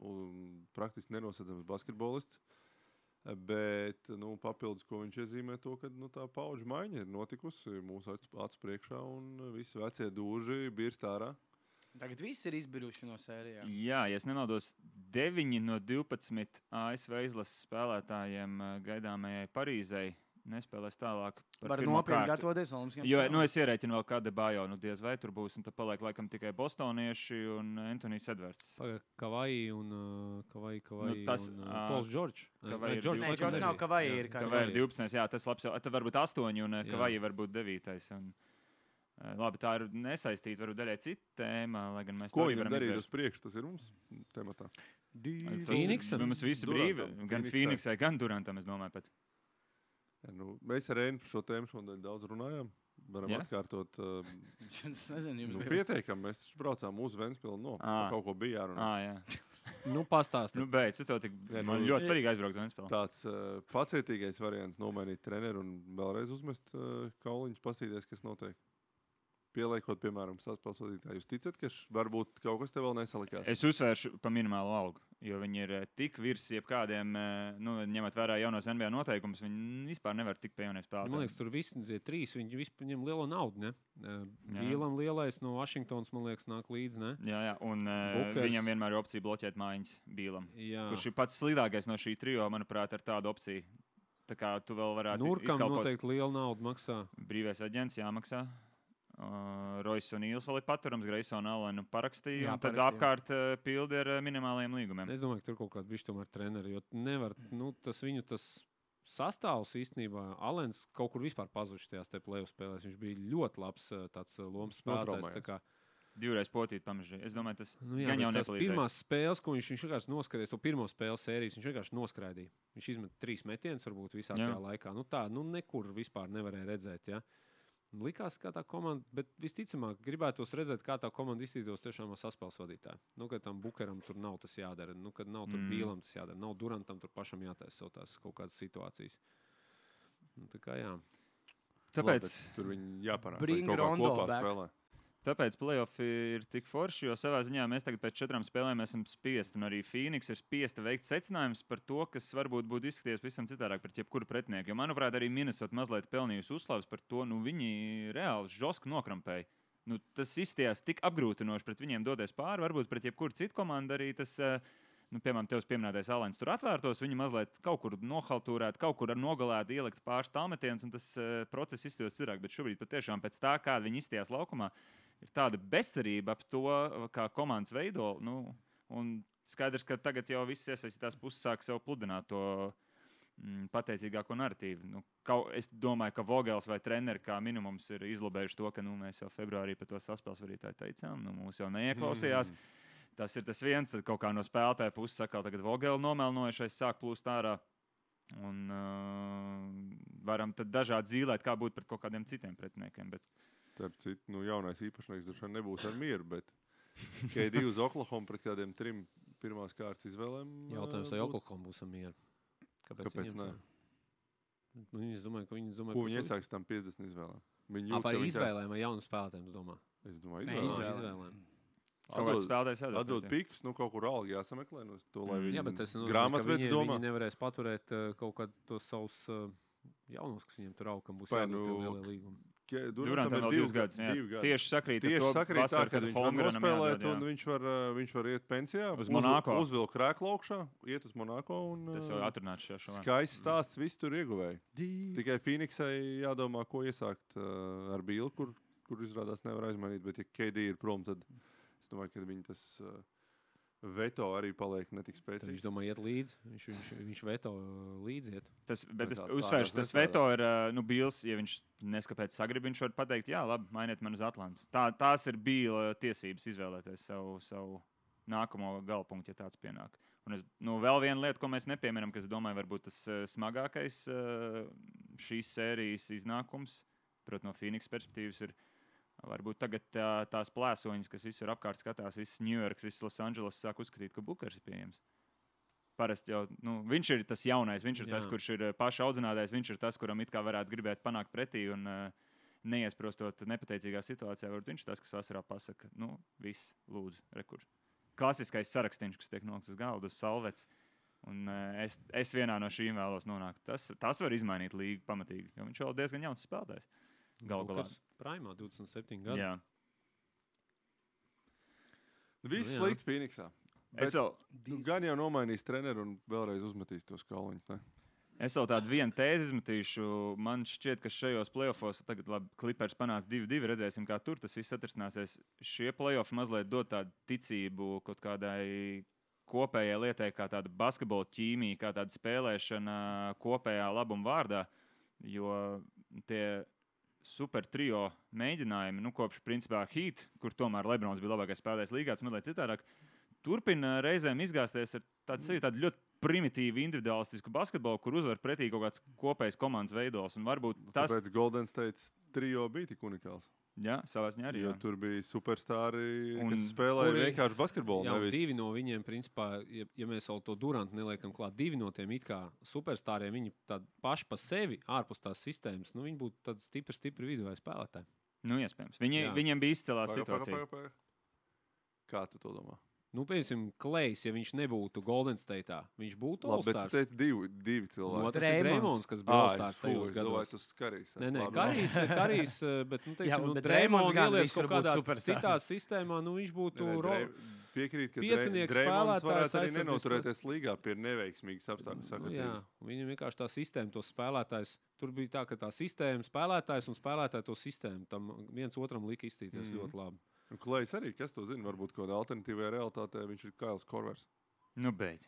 un praktiski nenosedzams basketbolists. Bet nu, papildus, ko viņš iezīmē, to, ka nu, tā paudžu maiņa ir notikusi mūsu acu priekšā un visi vecie dūži birst ārā.
Tagad viss ir izbiruši no sērijām.
Jā, ja es nemaldos, deviņi no divpadsmit A S V izlases spēlētājiem gaidāmajai Parīzei nespēlēs tālāk par
Var
pirmo
nopietni
kārtu.
gatavoties Olimpiskajām
Jo,
spēlēm.
nu, es ierēķinu vēl kādu bājo, nu, diez vai tur būs, un tad paliek laikam tikai bostonieši un Antonijs Edvards.
Kavai un uh, Kavai, Kavai
Nu, tas,
un
ā,
uh, Pols Džordžs.
Kavai ir
Džordžs
Nē,
laikam
Džordžs nav
nebija.
Kavai ir. kā-
Kavai ir divpadsmit, jā, tas labs jau, tad varbūt astoņi, un
Jā.
Kavai var būt devītais. Un, uh, labi, tā ir nesaistīta, varbūt daļai cita tēma, lai gan mēs
Ko
to
viņam
varam
darīt
izvērst.
uz priekšu, tas ir mums tematā.
Tas-
Phoenixam?
Mums visi
Durantam.
brīvi, gan
Phoenixai.
Phoenixai, gan Durantam, es domāju, pat.
Ja, nu, mēs ar Reinu par šo tēmu šodien daudz runājām. Varam
Jā?
atkārtot. Uh,
Es nezinu, jums
nu,
bija.
pietiekam, mēs taču braucām uz Ventspili. No,
Ā.
kaut ko bija jārunā.
Ā, jā.
Nu, pastāsti.
Nu, beidz, tu to tik,
Jā,
man
nu-
ļoti patīk aizbraukt uz Ventspili.
Tāds uh, pacietīgais variants nomainīt treneru un vēlreiz uzmest uh, kauliņus, paskatīties, kas notiek. Pieliekot, piemēram, saspēles vadītāju. Jūs ticat, ka š- varbūt kaut kas te vēl nesalikās?
Es uzsvēršu pa minimālo algu, jo viņi ir eh, tik virs jebkādiem, eh, nu, ņemot vērā jaunos N B A noteikumus, viņi vispār nevar tikt pie jauniem
Man
spēlētājiem.
liekas, tur visi tie trīs, viņi vispār ņem lielo naudu, ne? Uh,
Jā.
Bīlam lielais no Vašingtons, man liekas, nāk līdzi, ne?
Jā, jā, un uh,
Bukers.
viņam vienmēr ir opcija bloķēt mājiņas Bīlam.
Jā.
Kurš ir pats sliktākais no šī trio, manuprāt, ar tādu opciju. Tā kā tu vēl varētu
Nurkam
izkalpot.
noteikti liela nauda maksā.
Brīvais aģents jāmaksā. Uh, Rojas un Īls vēl ir paturams, Greisona Alenu parakstīja,
Jā,
un tad
parakstīja.
apkārt uh, pildi ar uh, minimāliem līgumiem.
Es domāju, ka tur kaut kāda bišķi tomēr treneri, jo nevar, nu, tas viņu tas sastāvs īstenībā, Alens kaut kur vispār pazuši tajās te play-off spēlēs. Viņš bija ļoti labs uh, tāds uh, lomas spēlētājs.
Notraumējies.
Tā kā,
Divreiz potīt pamežģīja. Es domāju, tas
nu, jā,
gan jau
bet tās
nepalīdzēja.
pirmās spēles, ko viņš, viņš vienkārši noskrēja, to pirmo spēles sērijas, viņš vienkārši noskraidīja. Viņš izmet trīs metienus varbūt visā
Jā.
tajā laikā. Nu tā, nu nekur vispār nevarēja redzēt, ja. Likās, kā tā komanda, bet visticamāk gribētos redzēt, kā tā komanda iztītos tiešām ar saspēles vadītāju. Nu, kad tam Bukeram tur nav tas jādara, nu, kad nav tur
Mm.
Bīlam tas jādara, nav Durantam tur pašam jātaisa savu tās kaut kādas situācijas. Nu, tā kā jā.
Tāpēc,
Labi, tur viņi jāparāda.
Bring
vai kaut kā
Rondo
kopā
back.
spēlē.
tāpēc play-offi ir tik forši, jo savā ziņā mēs tagad pēc četrām spēlēm esam spiesti, un arī Phoenix ir spiesta veikt secinājumus par to, kas varbūt būtu izskatījies pavisam citādāk pret jebkuru pretinieku. Jo, manuprāt, arī Minnesota mazliet pelnījusi uzslavas par to, nu viņi reāli žoski nokrampēja. Nu, tas izstījās tik apgrūtinoši pret viņiem doties pāri, varbūt pret jebkuru citu komandu arī tas. eh, Nu, piemēram, tevs pieminētais Alens tur atvērtos, viņi mazliet kaut kur nohaltūrēt, kaut kur ar nogalētu, ielikt pāris tālmetienus, un tas uh, process izstījās citāk. Bet šobrīd patiešām pēc tā, kāda viņi izstījās laukumā, ir tāda bezcerība ap to, kā komandas veido. Nu, un skaidrs, ka tagad jau viss iesaistītās puses sāk sev pludināt to mm, pateicīgāko narratīvu. Nu, kau, es domāju, ka Vogels vai treneri kā minimums ir izlabējuši to, ka nu, mēs jau februārī par to saspēles vadītāju teicām, nu, mūs jau neieklausījās. Mm. Tas ir tas viens, tad kaut kā no spēlētāja puses saka, tagad Vogeli nomelnojušais sāk plūst ārā. Un uh, varam tad dažādi zīlēt, kā būt pret kaut kādiem citiem pretiniekiem. Bet...
Starp citu, nu, jaunais īpašnieks droši vien nebūs ar mieru, bet K D uz Oklahoma pret kādiem trim pirmās kārtas izvēlēm.
Jautājums,
ā,
vai
būtu-
Oklahoma būs ar mieru? Kāpēc,
Kāpēc
viņiem
ne?
tā? Nu, viņi, es domāju, ka viņi domāju,
Ko
ka
viņi
tur-
iesāks tam piecdesmit izvēlēm? Viņi
Ā,
jūt,
par
ka viņi tā-
izvēlēm vai jaunu spēlētājiem, tu domā?
Es domāju,
Nē,
Ā,
izvēlēm.
izvēlēm.
Kaut kāds spēlētājs jādod.
Atdod
pret, jā.
pikus, nu kaut kur algi jāsameklē, nu to, lai
Mm.
viņi
Jā, bet tas nozīmē, ka
grāmatvedis
viņi,
domā.
viņi nevarēs paturēt uh, kaut kādus tos savus uh, jaunos, kas viņiem tur aug, kam būs
Vai
jādod
nu,
tie lielie līgumi.
Ke-
Durantam
ir
vēl
divi
divus gadus. jā.
divi gadi.
Tieši sakrīt ar
Tieši
to
sakrīt tā,
vasaru,
ka viņš var
Holmgrenam
nospēlēt,
jādod, jā.
un viņš var, uh, viņš var iet pensijā.
Uz
uzv-
Monako.
Uzvilk krēklu augšā, iet uz Monako. Un,
Tas jau
uh,
atrunāts šajā šovā.
skaists stāsts, viss tur ieguvēja. Tikai Phoenixai jādomā, ko iesākt uh, ar Bīlu, kur, kur izrādās nevar aizmainīt. Bet, ja K D ir prom, tad es domāju, ka viņi tas uh, veto arī paliek netik spēcīgs.
Viņš domā iet līdzi, viņš, viņš, viņš veto līdzi iet.
Tas, bet es
tā-
uzsvēršu,
tā
tas
tas
veto ir, ā, nu, Bīls, ja viņš neskapēc sagrib, viņš var pateikt, jā, labi, mainiet man uz Atlantas. Tā, tās ir Bīla tiesības izvēlēties savu, savu nākamo galpunktu, ja tāds pienāk. Un es, nu, vēl viena lieta, ko mēs nepieminam, kas, domāju, varbūt tas uh, smagākais uh, šīs sērijas iznākums, protams, no Phoenix perspektīvas ir varbūt tagad tā, tās plēsoņas, kas visur apkārt skatās, viss Ņujorks, viss Losandželos sāk uzskatīt, ka Bukers ir pieejams. Parasti jau, nu, viņš ir tas jaunais, viņš ir Jā. tas, kurš ir paša audzinātais, viņš ir tas, kuram it kā varētu gribēt panākt pretī un uh, neiesprostot nepateicīgā situācijā. Varbūt viņš ir tas, kas vasarā pasaka, nu, viss, lūdzu, rekur. Klasiskais sarakstīns, kas tiek nolikts uz galda, uz salvets. Un uh, es, es vienā no šīm vēlos nonākt. Tas, tas var izmainīt līgu pamatīgi, jo viņš vēl diezgan jauns spēlētājs. Galu galā.
Primā divdesmit septiņi gadi.
Jā.
Viss
Nu, jā.
slikts Phoenixā. Bet,
Es vēl,
nu, gan jau nomainīs treneru un vēlreiz uzmetīs tos kauliņus, ne?
es vēl tādu vienu tēzi izmetīšu. Man šķiet, ka šajos playoffos tagad labi, Clippers panāca divi divi. Redzēsim, kā tur tas viss atrisināsies. Šie playoffi mazliet dod tādu ticību kaut kādai kopējai lietai, kā tāda basketbola ķīmija, kā tāda spēlēšana kopējā labuma vārdā. Jo tie super trio mēģinājumi, nu, kopš principā Heat, kur tomēr Lebrons bija labākais spēlētājs līgā, tas mazliet citādāk, turpina reizēm izgāzties ar tādu sevi tādu ļoti primitīvu individualistisku basketbolu, kur uzvar pretī kaut kāds kopējs komandas veidos. Un varbūt tas,
Tāpēc Golden State trio bija tik unikāls.
jā, savā ziņā arī.
Jo
Jā.
tur bija superstāri,
Un
kas spēlēja
kuri-
vienkārši basketbolu.
Jā,
nevis...
divi no viņiem, principā, ja, ja mēs vēl to Durantu neliekam klāt, divi no tiem it kā superstāriem, viņi tādi paši pa sevi, ārpus tās sistēmas, nu, viņi būtu tādi stipri, stipri viduvēji spēlētāji.
Nu, iespējams. Viņi,
Jā.
viņiem bija izcēlā
Paga, paga,
situācija.
paga, paga. Kā tu to domā?
Nu, piemēram, Klejs, ja viņš nebūtu Golden State'ā, viņš būtu
Labi, bet tu
All-Stars.
teici divi, divi
No,
cilvēki.
tas ir
Dreimons.
Dreimons, kas bija
Ā,
All-Stars
es fū,
tajos
es domāju,
gados.
tas Karijs.
Nē, nē,
Labi,
Karijs, Karijs, bet, nu,
Jā,
teiksim, nu,
bet Dreimons
Dreimons
gan
ieliec
visur
kaut
būtu
kādā
superstārs.
citā sistēmā, nu, viņš būtu
Nē,
ro...
Drei- Piekrīt, ka
piecinieks
Dreimons
spēlētājs
varētu arī
aizsardzības
nenoturēties līgā pie neveiksmīgas apstākļu
Nu, jā,
sakritības.
viņam vienkārši tā sistēma, tos spēlētājs. Tur bija tā, ka tā sistēma, spēlētājs un spēlētāji to sistēmu. Tam viens otram lika izstīties
Mhm.
ļoti labi.
Un Klejs arī, kas to zina, varbūt kaut kādā alternatīvajā realitātē viņš ir Kails Korvers.
Nu, beidz.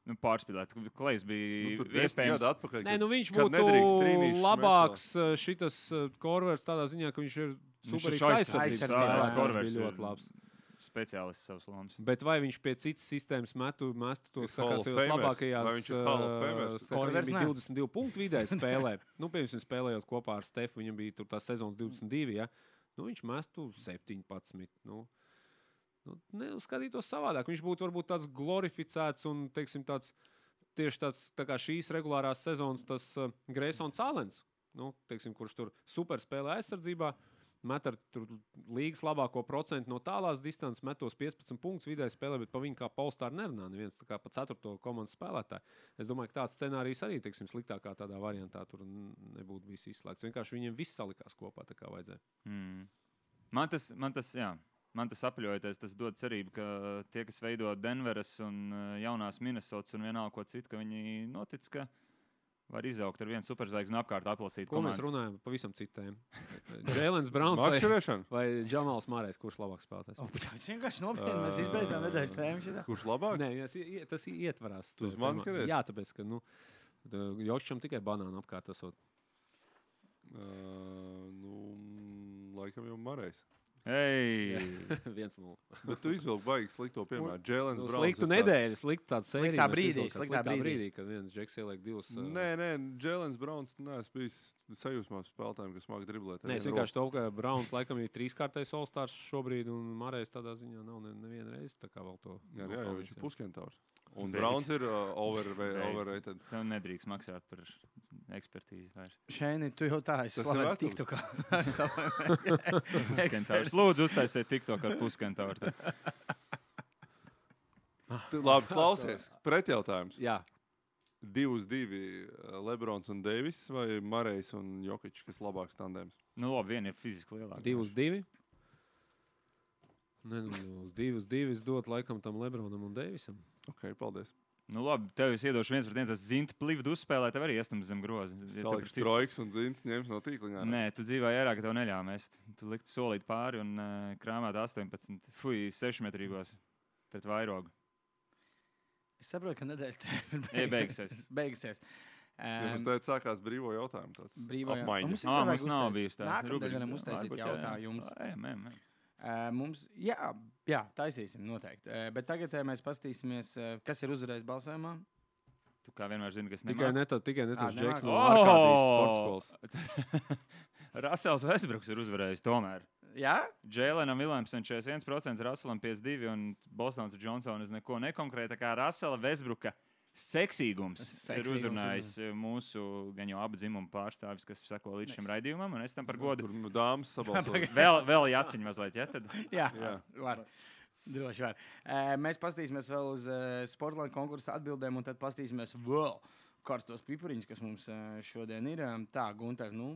Nu, pārspīlēt. Klejs bija
Nu, tur
nu,
desmit
iespējams.
gadu atpakaļ,
Nē,
kad-
nu viņš
kad
būtu
nedrīkst trīnīšus
labāks uh, šitas uh, Korvers tādā ziņā, ka viņš ir
Viņš
superīgs
ir aizsardzības
aizsardzības
aizsardzības
spēlētājs.
spēlētājs.
Tas
Korvers
bija
ir
ļoti labs.
Speciālists savas lomas.
Bet vai viņš pie citas sistēmas metu, mestu tos
Ir Hall of
sakās
Famers?
labākajās
Vai viņš ir Hall of Famers?
uh,
Korvers
viņam bija
ne.
divdesmit divi punktu vidēji spēlē. Nu, piemēram, spēlējot kopā ar Stefu, viņam bija tur tā sezonas divdesmit divi. Ja? Nu, viņš mestu septiņpadsmit. Nu, nu, neuzskatītos savādāk. Viņš būtu varbūt tāds glorificēts un, teiksim, tāds tieši tāds tā kā šīs regulārās sezonas tas uh, Greysons Alens, nu, teiksim, kurš tur super spēlē aizsardzībā, met ar tur līgas labāko procentu no tālās distances, metos piecpadsmit punktus vidēji spēlē, bet pa viņu kā Polstāru nerunā neviens, tā kā pa ceturto komandas spēlētāju. Es domāju, ka tāds scenārijs arī, teiksim, sliktākā tādā variantā tur n- nebūtu bijis izslēgts. Vienkārši viņiem viss salikās kopā, tā kā vajadzēja.
Mm. Man tas, man tas, jā. Man tas apļojoties, tas dod cerību, ka tie, kas veido Denveras un uh, jaunās Minnesotas un vienalga ko citu, ka viņi notic, ka var izaugt ar vienu superzvaigzni un apkārt aplasīt
Ko mēs
komandas.
runājam? Pavisam citiem. Jēlens Brauns vai,
Makšķerēšana?
vai Džamals Mārējs, kurš labāk spēlētājs?
O, tas vienkārši nopietni. Mēs izbeidzām nedēļas tēmu šitā.
Kurš labāks?
Nē, tas, ie- tas ietvarās.
Tu uz mani
Tēmā.
skaties?
Jā, tāpēc, ka, nu, Jokšam tikai banānu apkārt esot.
Uh, nu, laikam jau Marējs.
Ei!
viens nulle.
Bet tu izvilki baigi slikto piemēru. Jēlens
Nu,
Brauns.
sliktu
ir tāds-
nedēļu, sliktu tādu sēriju.
Sliktā
mēs
brīdī,
izvilkām.
sliktā brīdī.
brīdī, kad viens džeks ieliek divus. ā,
Nē, nē, Jēlens Brauns neesmu bijis sajūsmā spēlētājiem, kas māk driblēt.
Nē, es vienkārši to, ka Brauns laikam ir trīskārtais All-Stars šobrīd, un Mārējs tādā ziņā nav ne- neviena reize. Tā kā vēl to.
Jā, jā, jā, viņš ir
nopelnījis,
puskentaurs. Un
Beidz.
Brauns ir uh, over,
Beidz.
overrated.
Tev nedrīkst maksāt par ekspertīzi vairs.
Šeit tu jau tā esi
Tas ir
slavens
vecums.
TikTokā ar saviem.
Puskentaurs. Lūdzu, uztaisiet TikTok ar puskentauru.
Tu- Labi, klausies. Pretjautājums.
Jā,
Divi uz divi uh, Lebrons un Deivis vai Marējs un Jokičs, kas labāks tandēms?
Nu, labi, viena ir fiziski lielāka.
divi uz divi. Nē, nu, uz divi uz divi es dotu laikam tam Lebronam un Deivisam.
Ok, paldies.
Nu, labi, tev es iedošu viens pret viens. Es zinu, plīvdu uzspēlēt, tev arī iestums zem groza.
Saliks trojks un zins ņems no tīkliņā.
Nē, tu dzīvoji ērā, ka tev neļāva mest. Tu liktu solīt pāri un uh, krāmēt astoņpadsmit, fuj, sešmetrīgos pret vairogu.
Es saprotu, ka nedēļas tēma
ir beigusies.
beigusies.
Ja mums teica, sākās brīvo jautājumu. Tāds
brīvo
apmaiņa.
Mums,
Ā, mums nav bijusi tā.
Nākamā varam uztaisīt jautājumus. Uh, mums, jā, jā, taisīsim noteikti. Uh, bet tagad uh, mēs paskatīsimies, uh, kas ir uzvarējis balsojumā.
Tu kā vienmēr zini, kas
tikai
nemāk.
neto, tikai netos
Ā,
Džeks no
nemāk.
Arkādijas
Oh!
sporta skolas.
Rasels Westbrooks ir uzvarējis tomēr.
Jā?
Jēlenam Viljamsam četrdesmit viens procents, Raselam piecdesmit divi un Bostons Džonsons neko nekonkrēta. Kā Rasela Westbrooka seksīgums, seksīgums ir uzrunājis ir. mūsu gan jau abu dzimumu pārstāvis, kas seko līdz šim raidījumam, un es tam par godu.
Tur dāmas sabalsoja.
vēl, vēl jāciņ mazliet, ja tad?
Jā,
Jā.
var. Droši var. Uh, mēs paskatīsimies vēl uz uh, Sportlandes konkursa atbildēm, un tad paskatīsimies vēl karstos pipariņus, kas mums uh, šodien ir. Um, tā, Gunter, nu,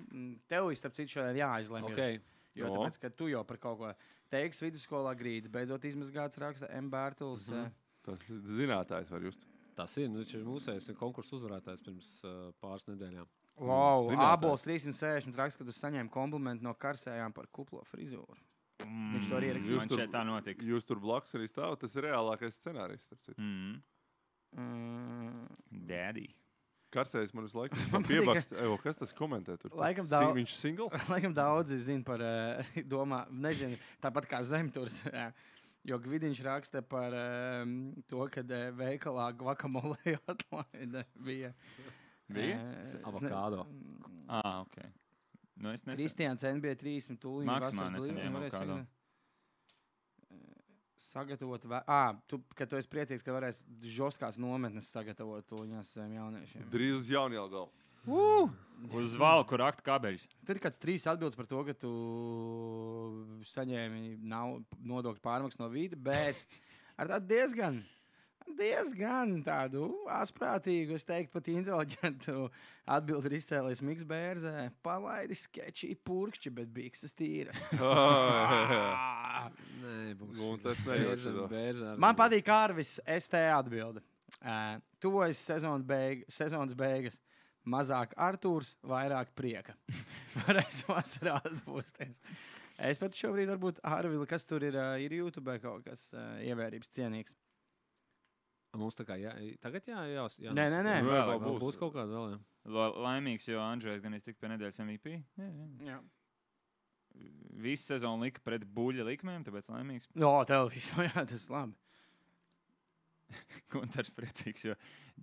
tev ir starp citu šodien jāizlemj.
Okay.
Jo
No.
tāpēc, ka tu jau par kaut ko teiksi vidusskolā grīdas, beidzot izmazgāts raksta M. Bērtuls.
Mhm.
Uh,
Tas zinātājs var just.
Tas ir, nu, viņš ir mūsējais konkursu uzvarētājs pirms uh, pāris nedēļām.
wow,
Zinātājs.
Abols trīssimt sešdesmit raksta, ka tu saņēmi komplimentu no karsējām par kuplo frizūru.
Mm,
Viņš to arī ierakstīja.
Man šeit tā notika.
Jūs tur blakus arī stāvat. Tas ir reālākais scenārijs. starp citu.
Mm.
Mm,
Daddy.
Karsējs man visu laiku
Man patīk,
piebakst. Evo, kas tas komentē tur?
Laikam
Tas
daudz-
si- Viņš single?
Laikam daudzi zina par, uh, domā, nezinu, tāpat kā Zemturs. jā. Jo Gvidiņš raksta par um, to, ka uh, veikalā guacamole atlaide bija.
Bija?
Uh,
Avokādo.
Ah, ok. Nu, es nesaku.
Kristiāns N B trīsdesmit tūlīt.
Maksimā nesaņēma avokādo.
Sagatavot, vē... ah, tu, ka tu esi priecīgs, ka varēs žostkās nometnes sagatavot tuņās saviem jauniešiem.
Drīz uz Jaunielgalu.
Uh!
Uz valku raktu kabeļus.
Tad ir kāds trīs atbildes par to, ka tu saņēmi nav nodokļu pārmaksu no vīda, bet ar tādu diezgan, diezgan tādu asprātīgu, es teiktu, pat inteliģentu atbildi ir izcēlies Miks Bērzē. Palaidi sketči purkšķi, bet bikses tīras.
Nē, būs.
Nu, tas nejauši
Bērza-
tā.
bērza ar-
Man patīk Kārvis S T atbilde. Uh, tuvojas sezonas, beig sezonas beigas. Mazāk Artūrs, vairāk prieka. Varēs vasarā atpūsties. Es pat šobrīd varbūt Ārvili, kas tur ir, uh, ir YouTube kaut kas uh, ievērības cienīgs.
Mums tā kā jā, tagad jā, jā, jā
Nē, nē, nē.
Nu,
Vēl
vēl
Vēl
būs.
būs kaut kāda vēl, jā.
La laimīgs, jo Andrzejs gan iztika pie nedēļas M V P. Jā, jā.
Jā.
Visu sezonu lika pret buļļa likmēm, tāpēc laimīgs.
O, tev visu, jā, tas ir labi.
Gunters priecīgs, jo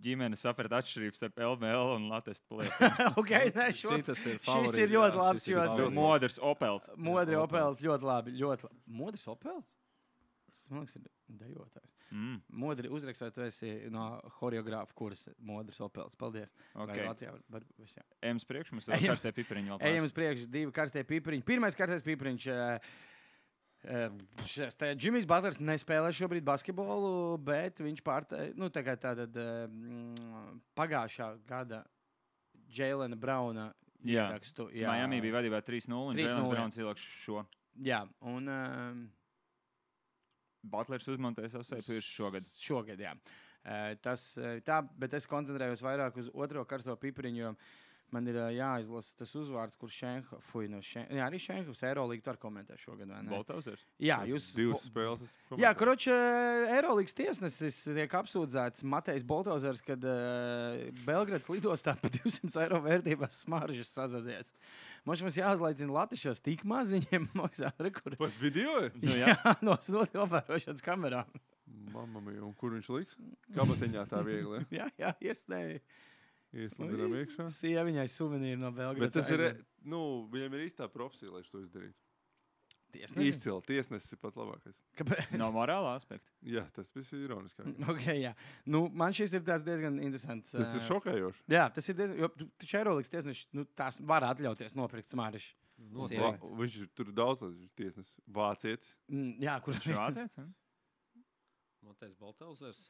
ģimene saprat atšķirības starp L M L un Latvijas plēti.
ok, nē, šo.
Šitas ir
šis
favorīts,
ir ļoti
jā,
labs,
šis ir
jo-
favorīts.
Modrs Opels.
Modri
Jā,
Opels, ļoti labi, ļoti labi. Modris Opels? Tas, man liekas, ir dejotājs.
Mm,
Modri uzrakst, vai tu esi no horeogrāfa kursa Modris Opels. Paldies. Vai
okay.
Latvijā var, var, var, jā.
Ems priekš, mums ir
Ejam.
karstie pipariņi vēl
Ejam
pāris.
uz priekšu, divi karstie pipariņi. Pirmais karstais pipariņš. Uh, uh, Džimijs Butlers nespēlē šobrīd basketbolu, bet viņš pārteica, nu, tā kā tātad uh, pagājušā gada Jēlena Brauna
Jā.
ierakstu.
Miami bija vadībā trīs nulle un
trīs nulle,
Jēlens
jā.
Brauns ielaks šo.
Jā, un uh,
Butlers uzmontēja savu seju pirms šogad.
Šogad, jā. Uh, tas uh, tā, bet es koncentrējos vairāk uz otro karsto pipariņu, jo man ir uh, jāizlasa tas uzvārds, kur Šenhovs, fuj, no Šenhovs, jā, arī Šenhovs Eirolīgu tur komentē šogad, vai ne?
Boltausers.
Jā, jūs...
Divas spēles. es
Jā,
komentēju.
kroči, Eirolīgas tiesnesis tiek apsūdzēts Matejs Boltauzers, kad uh, Belgrads lidostā par divsimt eiro vērtībās smaržas sazadzies. Mums mums jāuzlaicina Latvišos tik maz viņiem maksā, re, kur...
Pat video ir?
Nu, jā.
jā, no novērošanas kamerām.
Mamma mia, un kur viņš liks? Kabatiņā tā viegli.
jā, jā, iesnēji.
Ieslidinām iekšā.
Sieviņai suvenīri no Belgrads.
Bet tas ir, nu, viņam ir īstā profesija, lai to izdarītu.
Tiesnesis?
Izcili, tiesnesis ir pats labākais.
Kāpēc?
No morāla aspekta.
Jā, tas viss ir ironiski.
Okay, jā. Nu, man šis ir tāds diezgan interesants.
Tas ir
ā,
šokējoši.
Jā, tas ir diezgan, jo tu- taču Eirolīgas tiesneši, nu, tās var atļauties nopirkt smaržas.
Noteikti.
Sieviete.
Va- Viņš ir tur daudz viņš tiesnesis. Vācietis.
Mm, jā, kur
Viņš ir vācietis? hm?
Matejs Baltauzers.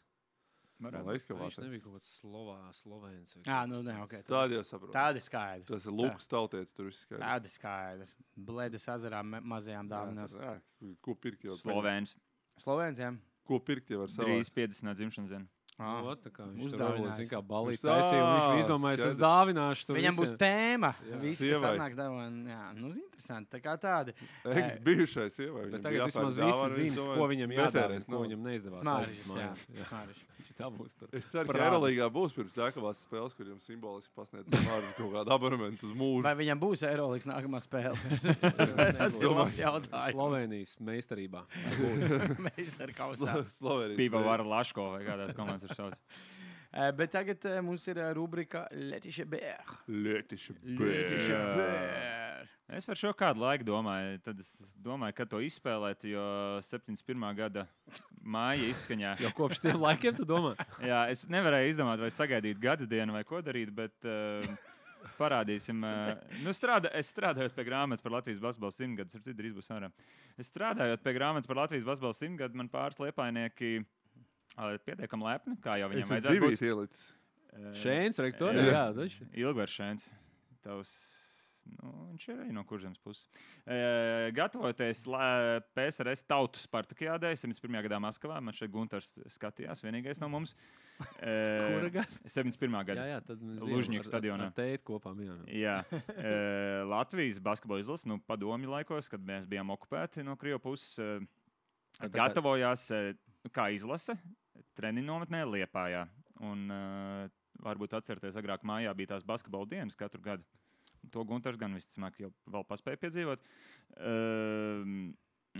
Man
Varētu.
liekas, ka
Viņš
vācietis.
nebija kaut kāds Slovā, Slovēns. vai
Jā,
kaut
nu,
kas
nē,
tāds.
ok.
Tādi jau saprot.
Tādi skaidrs.
Tas ir Lukas tautietis, tur viss skaidrs.
Tādi skaidrs. Bledes ezerā me- mazajām
Jā,
dāvinās.
tas- jā, ko pirkt jau?
Slovēns.
Slovēns, jā.
Ko pirkt jau ar savu?
Drīz piecdesmit dzimšanas dienu.
Ah,
O, tā kā viņš tur
uzdāvinājis.
varbūt, zin kā, balīt
Viņš tā-
taisīja, un viņš bija izdomājis, es
skaidrs.
dāvināšu to
Viņam būs
visiem.
tēma.
Jā.
Visi, kas
Sievai.
atnāks dāvana. Jā, nu, interesanti. Tā kā tādi.
Eks bijušais sievai.
Bet
viņam
tagad
bija
vismaz
jāpērk
visi
dāvana,
zina,
viņš domāja,
ko viņam
netērēs
jādara, ko
naudu.
viņam neizdevās.
Smāriņš,
aizvest
jā.
mājās. Jā.
Smāriņš.
Viņš tā būs tur.
Es ceru, ka
Parādās.
Eirolandā būs pirms nākamās spēles, kur jums simboliski pasniedz vārdu kaut kādu abonementu uz mūžu.
Vai viņam būs Eirolandes nākamā spēle? Tas ir
domāju.
labs jautājums.
Slovenijas meistarībā.
Meistara kausā.
Slovenijas.
Pīpa var Laško vai kādās komandas ir sauc.
Eh, Bet tagad eh, mums ir eh, rubrika Letiša Bēr.
Lietiši.
Letiša
Jā.
Bēr.
Es par šo kādu laiku domāju, tad es domāju, ka to izspēlēt, jo septiņdesmit pirmā gada māja izskaņā.
Jau kopš tiem laikiem, tu domā?
Jā, es nevarēju izdomāt, vai sagaidīt gada dienu vai ko darīt, bet uh, parādīsim. Uh, nu, strādā, es strādāju pie grāmatas par Latvijas basketbalu simtgadus, ar citu drīz būs ārā. Es strādājot pie grāmatas par Latvijas basketbalu simtgadu, man pāris liepainieki uh, pietiekami lepni, kā jau
Es
viņiem
esmu
vajadzētu
divi
būt.
ielicis.
Uh,
Šēns, rektori?
Jā.
Jā, taču.
Ilgars Šēns. Tavs, nu, viņš ir arī no kurzemes puses. E, gatavoties la- P S R S tautu Spartakiādē, septiņdesmit pirmā gadā Maskavā, man šeit Guntars skatījās, vienīgais no mums. E,
Kura gada?
septiņdesmit pirmā
Jā,
gada.
jā, tad mēs
Lužņiku
bijām ar-
stadionā.
Ar teitu kopā bijām.
Jā, e, Latvijas basketbola izlase, nu, padomju laikos, kad mēs bijām okupēti no Krievu puses, e,
Tā tā kā-
gatavojās e, kā izlase treniņu nometnē Liepājā. Un e, varbūt atcerieties, agrāk mājā bija tās basketbola dienas katru gadu. To Guntars gan visticamāk jau vēl paspēja piedzīvot. Uh,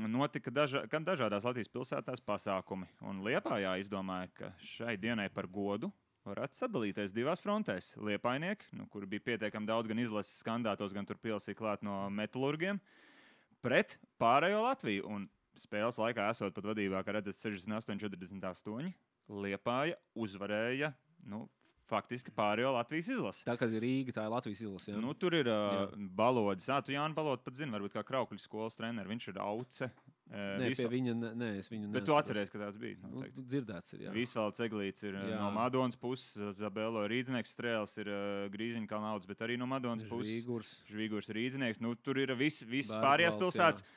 notika daža, gan dažādās Latvijas pilsētās pasākumi. Un Liepājā izdomāja, ka šai dienai par godu varētu sadalīties divās frontēs. Liepainieki, nu, kur bija pietiekami daudz gan izlases skandātos, gan tur pielsīja klāt no metalurgiem, pret pārējo Latviju. Un spēles laikā esot pat vadībā, kā redzat, sešdesmit astoņi četrdesmit astoņi, Liepāja uzvarēja, nu, faktiski pārējo Latvijas izlasi.
Tā kā ir Rīga, tā ir Latvijas izlase. Jā.
Nu, tur ir uh, balodis. Ah, tu Jānis Balodu pat zini, varbūt kā Kraukļu skolas treneris. Viņš ir auce. Uh,
Nē, pie viņa, ne, nē, es viņu
Bet tu atceries, ka tāds bija.
Nu,
Noteikti.
tu dzirdēts ir, jā.
Visvalds Eglīts ir uh,
Jā.
no Madonas puses, Zabelo Rīdznieks strēls ir uh, Grīziņa Kalnauds, bet arī no Madonas puses.
Žvīgurs.
Žvīgurs Rīdznieks. Nu, tur ir vis, visas
Bērgvalds,
pārējās pilsētas.
jā.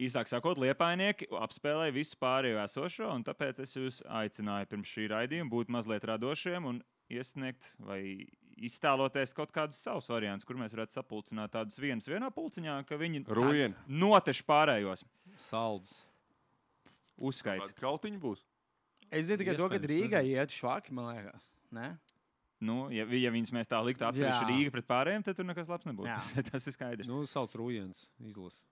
Īsāk sakot, liepainieki apspēlēja visu pārējo esošo, un tāpēc es jūs aicināju pirms šī raidījuma būt mazliet radošiem un iesniegt vai iztēloties kaut kādus savus variantus, kur mēs varētu sapulcināt tādus vienus vienā pulciņā, ka viņi
Rujieni.
noteši pārējos.
Salds.
Uzskait.
Kāda kautiņa būs?
Es zinu tikai to, ka
Iespējams,
Rīgai iet švaki, man liekas. Ne?
Nu, ja, ja viņas mēs tā liktu atsevišķi
Jā.
Rīga pret pārējiem, tad tur nekas labs nebūtu.
Jā.
Tas, tas ir skaidrs.
Nu, sauc Rujens izlase.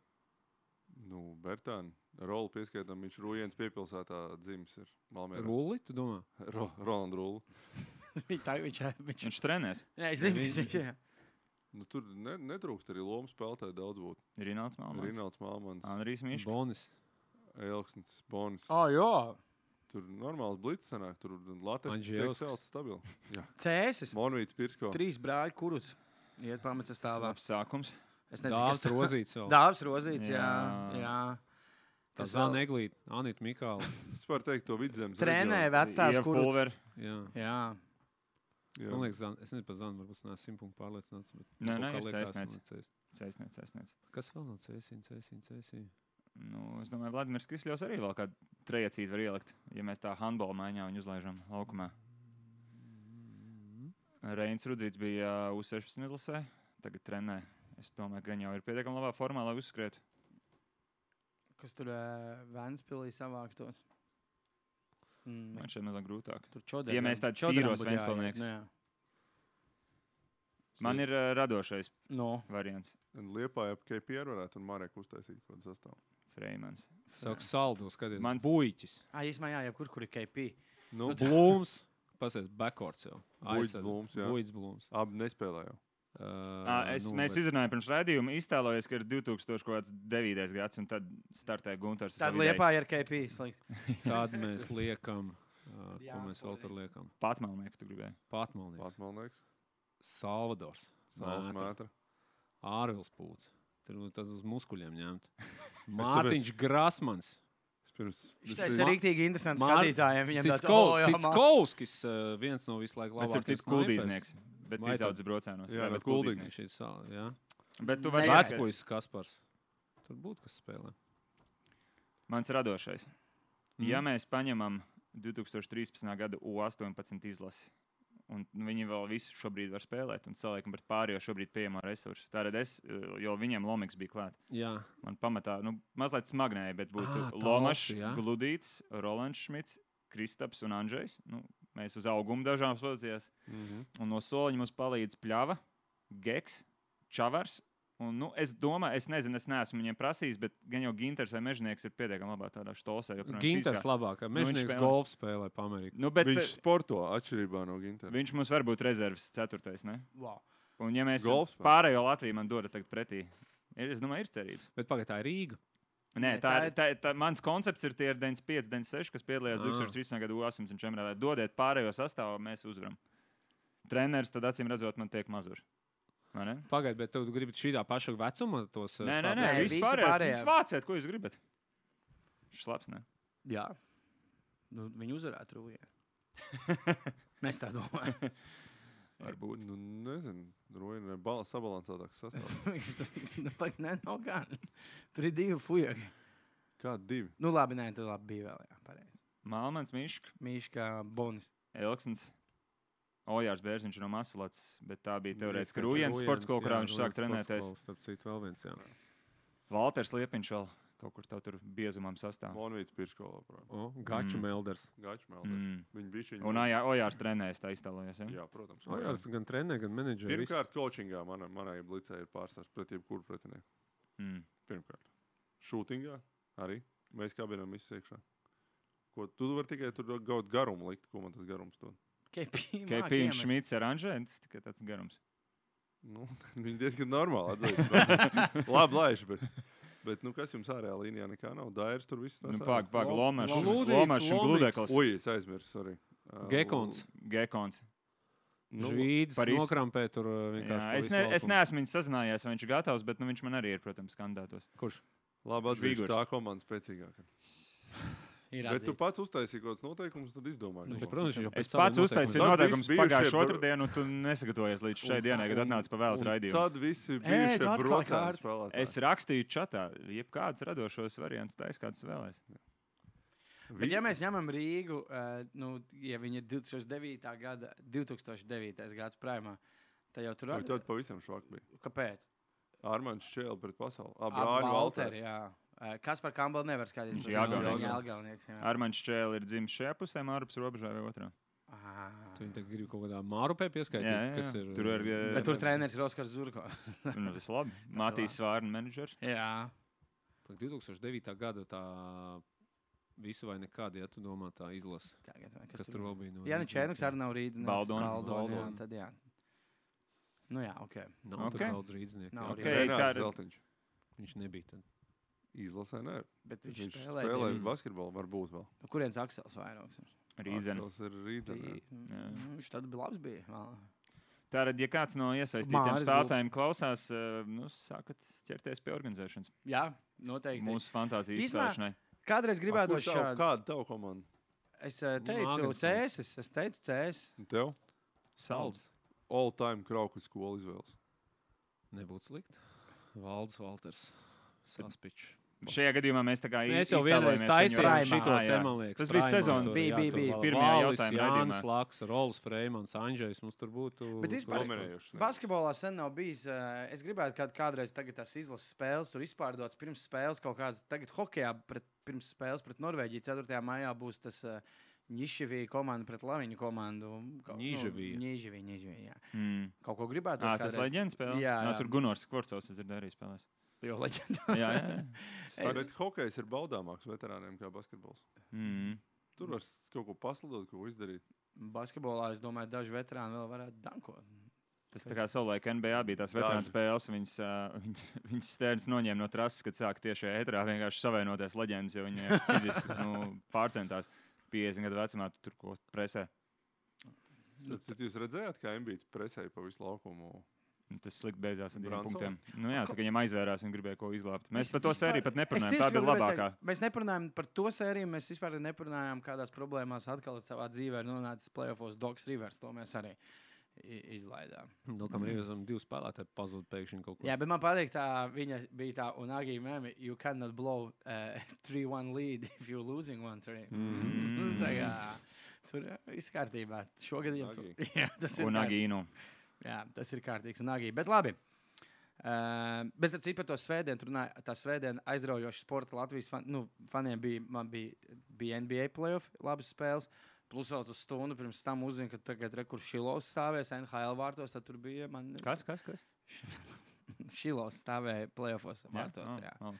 Nu, Bertāni. Rolu pieskaitam, viņš Rujens piepilsētā dzimis ir Malmērā.
Rulli, tu domā?
Ro, Roland Rulu.
Viņš tā, viņš, viņš,
Viņš trenēs.
jā, es zinu, kas viņš ir.
Nu, tur ne, netrūkst arī lomu spēlētāji daudz būt.
Rināls Malmans.
Rināls Malmans,
Andrijs Mišs.
Bonis.
Elksnis, Bonis.
O, jā.
Tur normāls blits sanāk, tur Latvijas
Anģēlisks.
tiek celts stabili. Jā.
Cēsis.
Monvīts Pirsko.
Trīs brāļi kuruts. Iet pamats stāvā.
Labs sākums.
Es nezinu,
Dāvs
kas
Rozīts vēl.
Dāvs Rozīts, jā.
Jā.
jā.
Tā
Kas
Zana
vēl?
Eglīte, Anita Mikāla.
Es varu teikt to vidzemes.
Trenē
reģionu.
vecstāvs
Ieva
kuruts.
Pulver.
Jā.
Jā.
Jā.
Man liekas, Zana, es nezinu par Zanu, varbūt nāc simt punktu pārliecināts. Bet
Nē,
kaut
nē,
kā
ir
liekas,
Cēsniec.
man Cēs-
Cēsniec, cēsniec.
Kas vēl nav Cēsīna, Cēsīna, Cēsīna?
Nu, es domāju, Vladimirs Kisļovs arī vēl kādu trejacīti var ielikt, ja mēs tā handbola maiņā viņu uzlaižam laukumā. Reins Rudzīts bija U sešpadsmit izlasē, tagad trenē. Es domāju, ka viņi jau ir pietiekami labā formā, lai uzskrietu.
Kas tur uh, Ventspilī savāktos? Mm,
Man šeit mazāk grūtāk.
tur čodēļ.
Ja mēs tādus tīros Ventspilnieks. Man ir uh, radošais
No.
variants.
Un Liepāja ap K P R varētu un Marek uztaisīt kaut kādu sastāvu.
Freimans.
Saka, saldu, skaties.
Mans-
Buļķis.
Ah, īsumā jā, jebkur, kur ir K P.
Nu,
Blūms. Pasies, backcourts jau.
Buļķis
Aizsargi.
Blūms, jā.
Buļķis Blūms.
abi nespēlē jau.
Uh,
À, es,
nu,
mēs
bet
izrunājām pirms raidījuma, iztēlojies, ka ir divi tūkstoši devītais gads, un tad startē Guntars. ar
Tad
savu ideju.
liepā ir K P. Slikt.
Tad mēs liekam, uh,
Jā,
ko mēs vēl tur
paldies.
liekam.
Patmalnieku tu gribēji.
Patmalnieks.
Patmalnieks.
Salvadors.
Sāls
Mētra.
mētra.
Ārvils pūts. Tur nu tad uz muskuļiem ņemt. Mārtiņš Grasmans.
Es pirms...
Viņš
es-
teica, ir rīktīgi interesants
Mār-
skatītājiem. Viņam tāds,
Cits
"O, jā,
Cits
mā."
Kauskis, uh, viens no visu laiku
Tas ir
labākajiem
cits kuldīznieks, bet
Vai tad-
izaudzis brocēnos.
Jā, no
bet
Kuldīgas.
Šī sal, jā.
Bet tu vari
Neskaidrs.
ieskatīt.
Vecpuisis Kaspars. Tur būtu kas spēlē.
Mans radošais.
Mhm.
Ja mēs paņemam divtūkstoš trīspadsmitā gada U astoņpadsmit izlasi. Un viņi vēl visu šobrīd var spēlēt un salīdzināt pret pārējo šobrīd pieejamo resursu. Tātad es, jo viņiem Lomiks bija klāt.
Jā.
Man pamatā, nu, mazliet smagnēja, bet būtu
Ā,
Lomašs,
talsi, jā.
Gludīts, Rolands Šmits, Kristaps un Andžejs. Nu, mēs uz augumu dažām pozīcijās.
Mhm.
Un no soliņa mums palīdz Pļava, Geks, Čavars. Un, nu, es domāju, es nezinu, es neesmu viņiem prasījis, bet gan jau Ginters vai Mežnieks ir pietiekami labā tādā štosē.
Ginters labāk. Mežnieks
spēlē.
golf spēlē pa Ameriku.
Nu, bet,
Viņš sporto atšķirībā no Gintera.
viņš mums var būt rezerves ceturtais, ne?
Wow.
Un ja mēs
Golfs spēlē.
pārējo Latviju man doda tagad pretī, ir, es domāju, ir cerības.
Bet pagaid, tā ir Rīga.
Nē,
Nē,
tā,
tā
ir, tā, tā, mans koncepts ir tie ir deviņdesmit pieci, deviņdesmit seši, kas piedalījās
Ah.
divtūkstoš trīspadsmitā gada U astoņpadsmit čempionātā. Dodiet pārējo sastāvu, mēs uzvaram. Treneris tad acīm redzot man tiek mazur. Vai ne?
Pagaid, bet tu gribi šīdā paša vecuma tos
Nē, nē, nē,
Nē,
viss
visi
pārējais.
pārējie.
Jūs vāciet, ko jūs gribat? Šlaps, ne?
Jā. Nu, viņi uzvarētu Rūjē. Mēs tā domājam.
Varbūt.
Nu, nezinu, Roina ir bal- sabalansētāks sastāvs.
nu, pag, nē, nav gan. Tur ir divi fujagi.
Kādi divi?
Nu, labi, nē, tu labi bija vēl, jā, pareizi.
Malmans, Mišk,
Mīškā Bonis.
Elksns, Ojārs Bērziņš no Masulats, bet tā bija teorētiski
Rūjens,
Rūjens sports skola, kurā
jā,
viņš
Rūjens
sāk
sports
trenēties.
skola, starp citu, vēl viens, jā.
Valters Liepiņš vēl kaut kur tā tur biezumam sastāv.
Monvīts Pirškola.
O, Gaču
Mm.
Melders.
Gačmelders.
Mm.
Viņi bija šī.
Un Ojā- Ojārs trenējas, tā iztēlojas. Ja?
Jā, protams.
O, jā, tas gan trenē, gan menedžē. viss.
Pirmkārt, coachingā manai, manai blicē ir pārstāvs pret jebkuru pretinieku.
Mm.
Pirmkārt. Šūtingā arī. Mēs kabinām visu iekšā. Ko tu vari tikai tur gaut garumu likt, ko man tas garums dod.
K P
Kepīns Šmits ar Anžēnu, tas tikai tāds garums.
Nu, viņi diezgan normāli atzīst. Labi laiši, bet, bet nu, kas jums ārējā līnijā nekā nav? Dairs tur viss
Nu,
tas
pāk, pāk,
Lo-
Lomašs,
Lūdīts,
Lomašs un
Lomiks.
Gludekls.
Ui, es aizmirsu, sorry. Uh,
Gekons.
Gekons.
Nu,
Žvīds,
par iz-
nokrampē tur uh, vienkārši.
Jā,
pa
es,
visu
ne, es
laukumu.
neesmu viņu sazinājies, vai viņš ir gatavs, bet nu, viņš man arī ir, protams, kandidātos.
Kurš?
Labi atzīšu,
Žvīgurs.
tā komanda spēcīgāka.
Ir
Bet tu
atzīts.
pats uztaisīji kaut kādus noteikumus, tad izdomāji.
Nu,
ko
bet, protams, viņš jau
Es
pēc saviem
pats uztaisīju
Tad
noteikumiem.
noteikumus
visi bijušie
pagājušo
bro-
otrdienu, un tu nesagatavojies līdz šai
Un-
dienai, kad
un-
atnāc pa vēlas
un
raidījumu.
Tad visi
Ē,
bija
tu
šie
atklāji
brocēni
kārtas.
spēlētāji.
Es rakstīju čatā, jebkādus radošos variantus, taisa kāds vēlēs.
Bet, ja mēs ņemam Rīgu, uh, nu, ja viņi ir divtūkstoš devītā gada, divtūkstoš devītais gads prēmā, tad jau tur
Vai
ir.
tad pavisam švak bija?
Kāpēc?
Armāns Čēl pret pasauli.
Abi
Brāļi
Valteri,
Valteri.
jā. Uh, Kas par Campbell nevar skatīties?
Viņš ir Jāgaunieks.
Viņa Jāgaunieks, jā.
Armāns Čēlis ir dzimis šajā pusē, ārpus robežā vai otrā.
Ah.
Tu viņi tagad grib kaut kādā mārupē pieskaitīt,
Jā, jā,
kas
jā.
ir.
Tur ir, eh,
Bet tur treneris ir Oskars Zurko.
Nu, tas labi. Matīs Svārna menedžers.
jā.
Pag divtūkstoš devītā gada tā visu vai nekādi, ja tu domā tā izlase.
Tagad, vai
Kas tur vēl bija? No
Jā, nu Čēnuks arī nav rītdienas.
Baldoni.
Baldoni, jā,
Baldoni.
tad jā. Nu jā, ok.
Nav
Ok.
okay. daudz rīdznieku.
Nav
jā.
Ok.
Renārs
tā ir-
Zeltiņš.
Viņš nebija tad.
Izlasē, nē.
Bet viņš,
Viņš
spēlē.
spēlē
Viņš...
basketbolu, varbūt vēl.
Nu, kurienes Aksels vairāks?
Rīzena.
Aksels ir rīdzenē.
Mm, Viņš tad bija labs. Bija. Vā.
Tātad, ja kāds no iesaistītiem
Māris
spēlētājiem klausās, eh, nu, sākat ķerties pie organizēšanas.
Jā, noteikti.
Mūsu fantāzijas
Īsmā-
izstāšanai.
Kādreiz gribētu
Kur tavu-
šādu.
Kāda tava komanda?
Es uh, teicu,
Mākslinieks.
Cēsis. Es teicu, Cēsis.
Un tev?
Salds.
All time krauku skolu izvēles.
Nebūtu slikti. Valds Valters. Saspičs.
Šajā gadījumā mēs tā kā
Mēs jau
iztēlojamies,
vienreiz
ka viņi
taisījām
ir-
šito
Ā, jā.
te, man liekas.
Tas bija
Praimā
sezonas
tur,
Bija,
jā,
bija,
tur
bija.
Val-
Pirmajā
Valis,
jautājuma
Jānis
raidījumā.
Laks, Rols Freimans, Andžejs. Mums tur būtu...
Bet vispār-
tur-
Dominējuši. ne?
Basketbolā sen nav bijis. Uh, es gribētu, kad kādreiz tagad tās izlases spēles tur izpārdotas pirms spēles kaut kādas. Tagad hokejā pret, pirms spēles pret Norvēģiju ceturtajā maijā būs tas uh, Ņiševija komanda pret Laviņu komandu. Kaut-
Ņiževija.
Nu, Ņiževija, Ņiževija, jā.
Mm.
Kaut ko gribētu.
Ā, tas leģendas spēlē?
Jā,
Nā,
jā.
tur Gunārs Kvorcovs ir arī spēlējis.
Jo leģenda.
Jā, jā, jā.
Ej,
Bet hokejs ir baudāmāks veterāniem kā basketbols.
Mm.
Tur var s- kaut ko paslidot, ko izdarīt.
Basketbolā, es domāju, daži veterāni vēl varētu dankot.
Tas tā kā savulaik N B A bija tās veterāna
Daži.
spēles, viņas, uh, viņas, viņas stērns noņēma no trases, kad sāk tieši ētrā vienkārši savienoties leģendas, jo viņi fiziski nu, pārcentās piecdesmit gadu vecumā tu tur ko presē.
Tad jūs redzējāt, kā Embīts presēja pa visu laukumu?
Un Tas slikti beidzās ar diviem
Bransons?
punktiem. Nu, jā, tā kā viņam aizvērās un gribēja ko izglābt. Mēs
Es
par to
vispār-
sēriju pat
Es
neparunājām.
tieši
Tā bija
gribēju
labākā.
teikt, Mēs neparunājam par to sēriju, mēs vispār neparunājām, kādās problēmās atkal savā dzīvē ir nonācis playoffs Dogs Rivers. To mēs arī izlaidām.
Dokam Rīvesam divi spēlētāji pazūd pēkšņi kaut kur.
Jā, bet man patīk tā, viņa bija tā, un Agī memi, you cannot blow uh, three one lead if you're losing one three. Mm. Tā kā, tur viss kārtībā. Šogad viņam tur. Jā, tas ir
Un Agīnu.
Jā, tas ir kārtīgs un Agī. Bet labi. Uh, bez ar citu par to svētdienu, tur runāja, tā svētdiena aizraujoša sporta Latvijas fan, nu, faniem bija, man bija, bija N B A playoff, labas spēles. Plus vēl uz stundu pirms tam uzzina, ka tagad re, kur Šilovs stāvēs N H L vārtos, tad tur bija man...
Kas, kas, kas?
Šilovs stāvēja playoffos vārtos, jā.
jā. jā.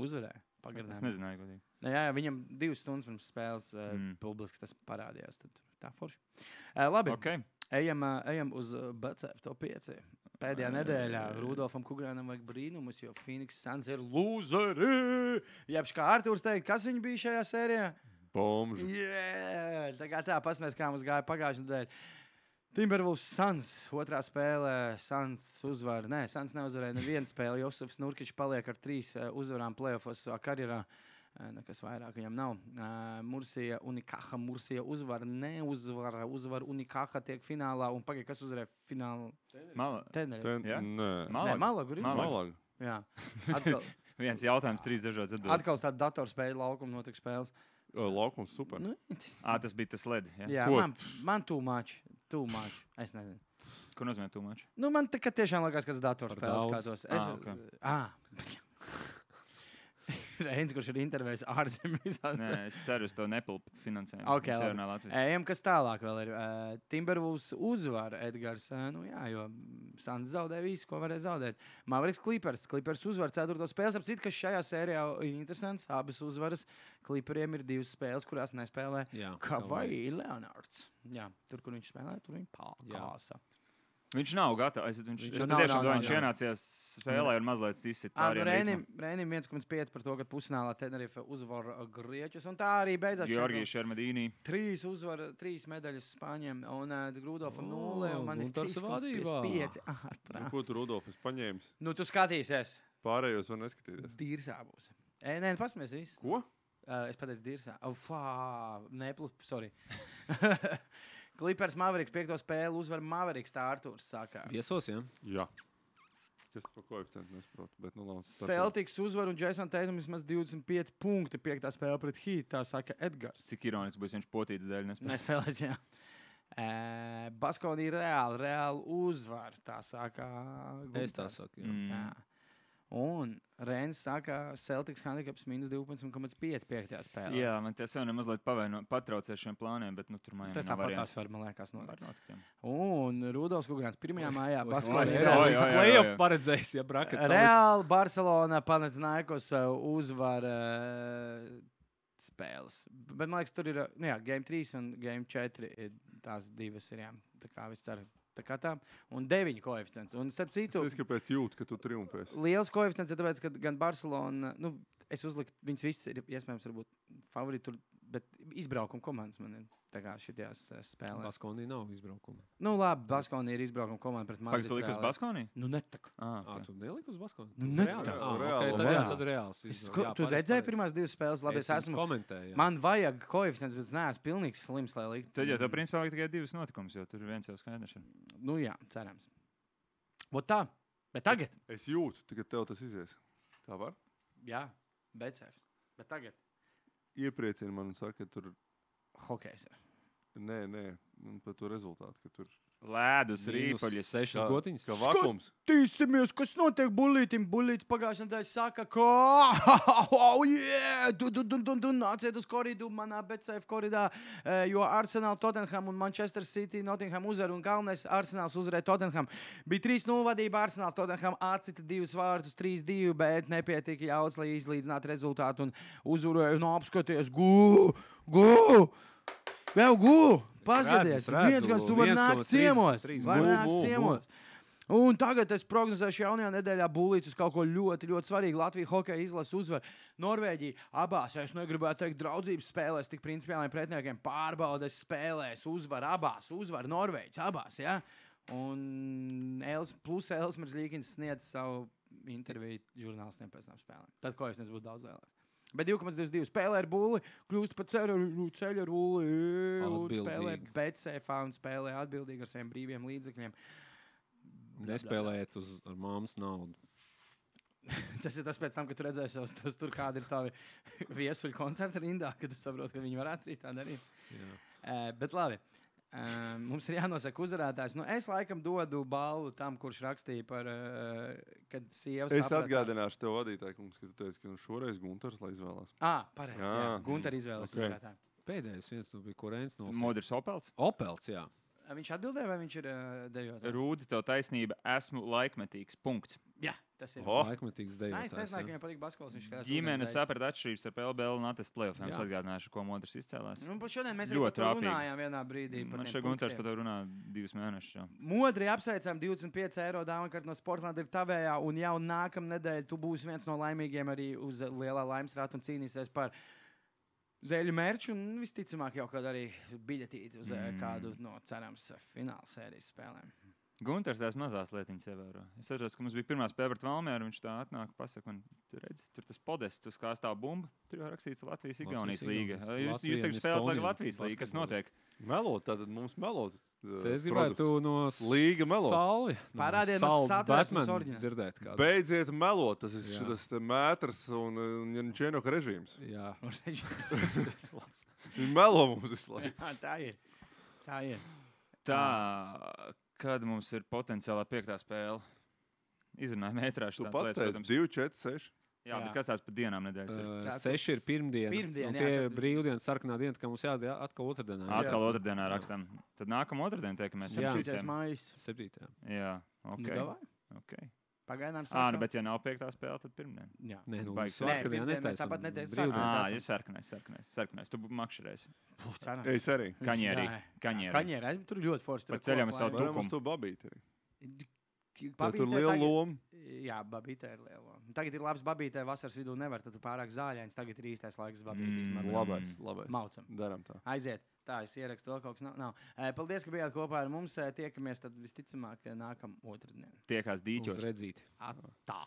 Uzvarēja. Pagarinājumā.
Es nezināju, godīgi.
Jā, jā, viņam divas stundas pirms spēles uh,
Mm.
publiski tas parādījās. Tad tā forši. Uh, labi,
Okay.
ejam, uh, ejam uz uh, B C F top pieci. Pēdējā nedēļā Rudolfam Kugrānam vajag brīnumus, jo Phoenix Suns ir lūzeri. Jebš kā Artūrs teikt, kas viņi bija šajā sērijā?
Bomži.
Yeah! Tā kā tā, pasmēs, kā mums gāja pagājušajā nedēļā. Timberwolves Suns, otrā spēlē, Suns uzvar. Nē, Suns neuzvarēja nevienu spēli. Josefs Nurkičs paliek ar trīs uh, uzvarām playoffos savā karjerā. Uh, nekas vairāk viņam nav. Uh, Mursija Unikaha, Mursija uzvar, neuzvara, uzvar Unikaha tiek finālā. Un pagaid, kas uzvarēja finālu?
Mala.
Teneri.
Ten,
Jā?
Nē.
Malaga.
Nē, Malaga. Ir
Malaga.
Malaga.
Jā. Atkal,
Viens jautājums, trīs dažādas atbildes.
atkal tāda datorspēļu laukuma notika spēles.
O, Laukums super.
Nu,
Ā, tas bija tas led. Ja?
jā,
Ko?
man, man too much. Too much. Es nezinu.
Ko nozīmē tūmači?
Nu, man tā kā tiešām liekas, ka tas datorspēles
Par
skatos. Es,
Ah, okay.
ah. Reins, kurš ir intervējis ārzemēs.
Nē, es ceru uz to nepilpu finansējumu.
Okay,
Mums
labi.
jārunā latviski.
Ejam, kas tālāk vēl ir. Uh, Timberwolves uzvar Edgars. Uh, nu jā, jo Suns zaudēja visu, ko varēja zaudēt. Mavericks Clippers. Clippers uzvar ceturto spēles. Ap citu, kas šajā sērijā ir interesants. Abas uzvaras. Clipperiem ir divas spēles, kurās nespēlē
Jā,
Kawhi Leonards. Jā, tur, kur viņš spēlē, tur viņa pārkāsa.
Viņš nav gatavs. Viņš,
Viņš
viņš
nav,
tiešām,
nav,
ka
nav,
viņš
nav.
ienācās spēlē un mazliet izsit
Ah, nu,
pārējiem
Rēnim,
ritmam.
Rēnim viens komats pieci par to, ka pusfinālā Tenerife uzvar Grieķus. Un tā arī beidzās.
Georgijs Šermedīnī.
Trīs uzvar, trīs medaļas Spāņiem. Un uh, Grūdolfam
O,
nulle. Un man ir
Guntars
trīs komats
vadībā.
pieci. Ah,
Nu,
prāt.
ko tu Rudolfs paņēmis?
Nu, tu skatīsies.
Pārējos var neskatīties.
Dīrsā būs. E, nē, pasmies visu.
Ko?
Uh, es pateicu dīrsā. Oh, fā, neplu, sorry. Clippers Mavericks piekto spēli uzvar Mavericks, tā Artūrs sākā.
Viesos, jā.
Jā. Kas par koeficientu nesaprotu, bet nu labi.
Celtics uzvar un Jason Tatum vismaz divdesmit pieci punkti piektā spēle pret Heat, tā saka Edgars.
Cik ironiski būs viņš potītas dēļ nespēlē.
Nespēlēs, jā. Uh, Baskonī reāli, reāli uzvar, tā saka
Es tā
Gunters.
saku. Jā.
Mm.
Jā. Un Reinis saka, Celtics handicaps mīnus divpadsmit komats pieci piektajā spēlē.
Jā, man tas jau nemazliet pavēno, patraucē šiem plāniem, bet nu, tur man
Tas tāpat tās var, man liekas, no.
Var notikt, jā.
Un Rudolfs Kugrāns pirmajā mājā
Oi,
Baskonī
oi,
reāli.
oi, oi.
Playoff paredzējis, ja brackets salikts.
Reāli Barcelona Panathinaikos uh, uzvar uh, spēles. Bet man liekas, tur ir, uh, nu jā, game trīs un game četri ir tās divas ir, jā. Tā kā viss cer. Tā kā tā. Un deviņi koeficients. Un starp citu,
Es kāpēc jūtu, ka tu triumfēsi?
liels koeficients ir tāpēc, ka gan Barcelona, nu, es uzliku, viņas viss ir iespējams varbūt favorīti tur, bet izbraukuma komandas man ir tā kā šitās uh, spēlēs.
Baskonī nav izbraukuma.
Nu labi, Baskonī ir izbraukuma komanda pret
Pagaid, tu
Madrids.
liki uz
Reāli.
Baskonī?
Nu netak.
Ah,
Ā,
okay.
tu neliki uz Baskoni?
Nu, ne
Reāli?
tā.
Ā,
Reāli,
ok, tad, jā,
reāli.
tad reāls.
Es,
izbrauc.
ko,
Jā,
tu
pareizi,
redzēji
pareizi.
pirmās divas spēles? Labi, es,
Es
esmu.
komentēju. jā.
Man vajag koeficients, bet es neesmu pilnīgs slims, lai liktu.
Tad jau tev principā vajag tikai divas notikumus, jo tur ir viens jau skaidrs. ir.
Nu jā, cerams. Vot tā. Bet tagad.
Es jūtu, ka tev tas izies. Tā var?
Jā, beidzēs. Bet tagad.
Iepriecina man un saka, ka tur...
Hokejs.
Nē, nē, un par to rezultātu, ka tur...
Lēdus,
Mīnus
rīpaļas.
Sešas gotiņas.
Ka vakums.
Tīsimies, kas notiek bulītim. Bulīts pagājušajā nedēļā saka, ka... Oh, yeah! Du, du, du, du, du, nāciet uz koridu manā B C F koridā, eh, jo Arsenal, Tottenham un Manchester City, Nottingham uzvar un galvenais Arsenals uzvarēja Tottenham. Bija trīs nulle vadība Arsenal, Tottenham atcita divus vārtus, trīs divi, bet nepietika jauts, lai izlīdzinātu rezultātu un uzvarēja un apskaties. Gu! Gu! Vēl gu! Paskaties,
Es redzu,
viens, kas tu vari
viens
nākt
komats trīs-
ciemos.
trīs
Var
gu,
nākt
gu, gu.
ciemos. Un tagad es prognozēšu jaunajā nedēļā būlīts uz kaut ko ļoti, ļoti svarīgu. Latvija hokeja izlase uzvar Norvēģiju abās. Es negribētu teikt draudzības spēlēs, tik principiāliem pretiniekiem pārbaudes spēlēs. Uzvar abās, uzvar Norvēģis abās. Ja? Un Els, plus Elsmers Līkins sniedz savu interviju žurnālistiem pēc tam spēlēm. Tad koeficients būtu daudz lielāks. Bet divi komats divdesmit divi spēlē ar bulli, kļūst pa ceļu, ceļu ar bulli, un spēlē
Atbildīgi.
betseifā un spēlē atbildīgi ar saviem brīviem līdzekļiem.
Nespēlēt uz ar māmas naudu.
Tas ir tas pēc tam, kad tu redzēsi, tos, tos, tur kādi ir tavi viesuļu koncerti rindā, kad tu saproti, ka viņi varētu arī tā darīt.
Jā.
Uh, bet labi. Uh, mums ir jānosaka uzvarētājs. Nu, es laikam dodu balvu tam, kurš rakstīja par, uh, kad sievas
Es atgādināšu tev, vadītāji, kungs, ka tu teici, ka nu šoreiz Gunters lai izvēlās.
Ah, pareizi. Jā.
Jā.
Gunter izvēles
Ok.
uzvarētāju.
Pēdējais viens nu bija Kurēns no
Modrs Opels.
Opels, jā.
Viņš atbildēja, vai viņš ir uh, dejotājs?
Rūdi, tev taisnība, esmu laikmetīgs. Punkts.
Jā, tas ir.
O,
Laikmetīgs
Nē, es
dejotājs.
nezināju, ka
jā.
viņam patīk basketbols. Viņš skatās
Ģimene
ūdens
saprat atšķirības ar P L B un Latvijas playoffiem. Es
Jā.
atgādināšu, ko Modrs izcēlās.
Nu, pat šodien mēs arī
Ļoti
par to
trāpīgi.
runājām vienā brīdī. par
Man
tiem
šeit Gunters
punktiem.
par to runā divus mēnešus. jau.
Modri apsveicam, divdesmit pieci eiro dāvana no Sportlanda ir tavējā, un jau nākamā nedēļa tu būsi viens no laimīgiem arī uz lielā laimes rāta un cīnīsies par zēļu mērķu, un visticamāk jau kādu arī biļetīti uz mm. kādu no cerams fināla sērijas spēlēm.
Gunters tās mazās lietiņas ievēro. Es atceros, ka mums bija pirmā spēle pret Valmieru, viņš tā atnāk, pasaka, man, tu redzi, tur tas podests, uz kā stāv bumba, tur jau rakstīts Latvijas-Igaunijas līga.
Igaunijas.
Jūs, jūs tagad
Latvija un
spēlēt
Estonija
Latvijas līga, kas
basketbolā.
notiek?
melot, tad mums melot. uh,
Te es gribētu
produkts.
no
Līga melo.
Sauli.
Parādiet man
Salds
satvērtnes
Batman
oriģinālu.
dzirdēt kādu.
Beidziet melot, tas ir
Jā.
šis mētrs un, un Čenoka režīms.
Jā.
Viņi melo mums visu laiku.
Jā, tā ir. Tā ir.
Tā, kad mums ir potenciālā piektā spēle, izrunājam ētrāšu
Tu
tādas
pats
lietas,
teici
protams.
divi, četri, seši.
Jā,
Jā.
bet kas tās pa dienām nedēļas ir?
Uh,
Ceturts.
seši ir pirmdiena.
Pirmdiena,
un
jā,
tie ir
tad-
brīvdienas, sarkanā diena, ka mums jādara atkal otrdienā.
Atkal otrdienā rakstam. Tad nākamā otrdiena tiekamies ar
Jā.
Septītais
visiem.
mājas.
Septītā.
Jā,
Nu,
ok.
davai.
okay.
Pagaidām
Ā, nu, bet ja nav piektā spēle, tad pirmdien.
Jā.
Nē, nu,
Baigi.
sarkanajā
Nē, pirmdien mēs
netaisam.
tāpat netaisam
Brīvdienas.
sarkanā.
Ā, ja sarkanais, sarkanais, sarkanais. Tu makšerēsi.
Puh, cerams.
Es arī.
Kaņierī.
Jā.
Kaņierī.
Kaņierī. Tur ļoti forši. tur
Pa
ir
ceļam
koku
es savu
laimi.
Varam uz
Tukumu.
to babīt arī.
K-
Tā tur
babītē
liela
tagad-
loma.
Jā, babītē ir liela. Tagad ir labs babītē, vasaras vidū nevar, tad tu pārāk zāļains. Tagad ir īstais laiks babītīs.
Mm.
Mm.
Labais, labais.
Maucam.
Daram tā.
Aiziet. Tā, es ierakstu vēl kaut kas. Nav, nav. Eh, Paldies, ka bijāt kopā ar mums. Eh, Tiekamies tad visticamāk nākamā otrdien.
Tiekās dīķos.
Uz redzīti.
Tā.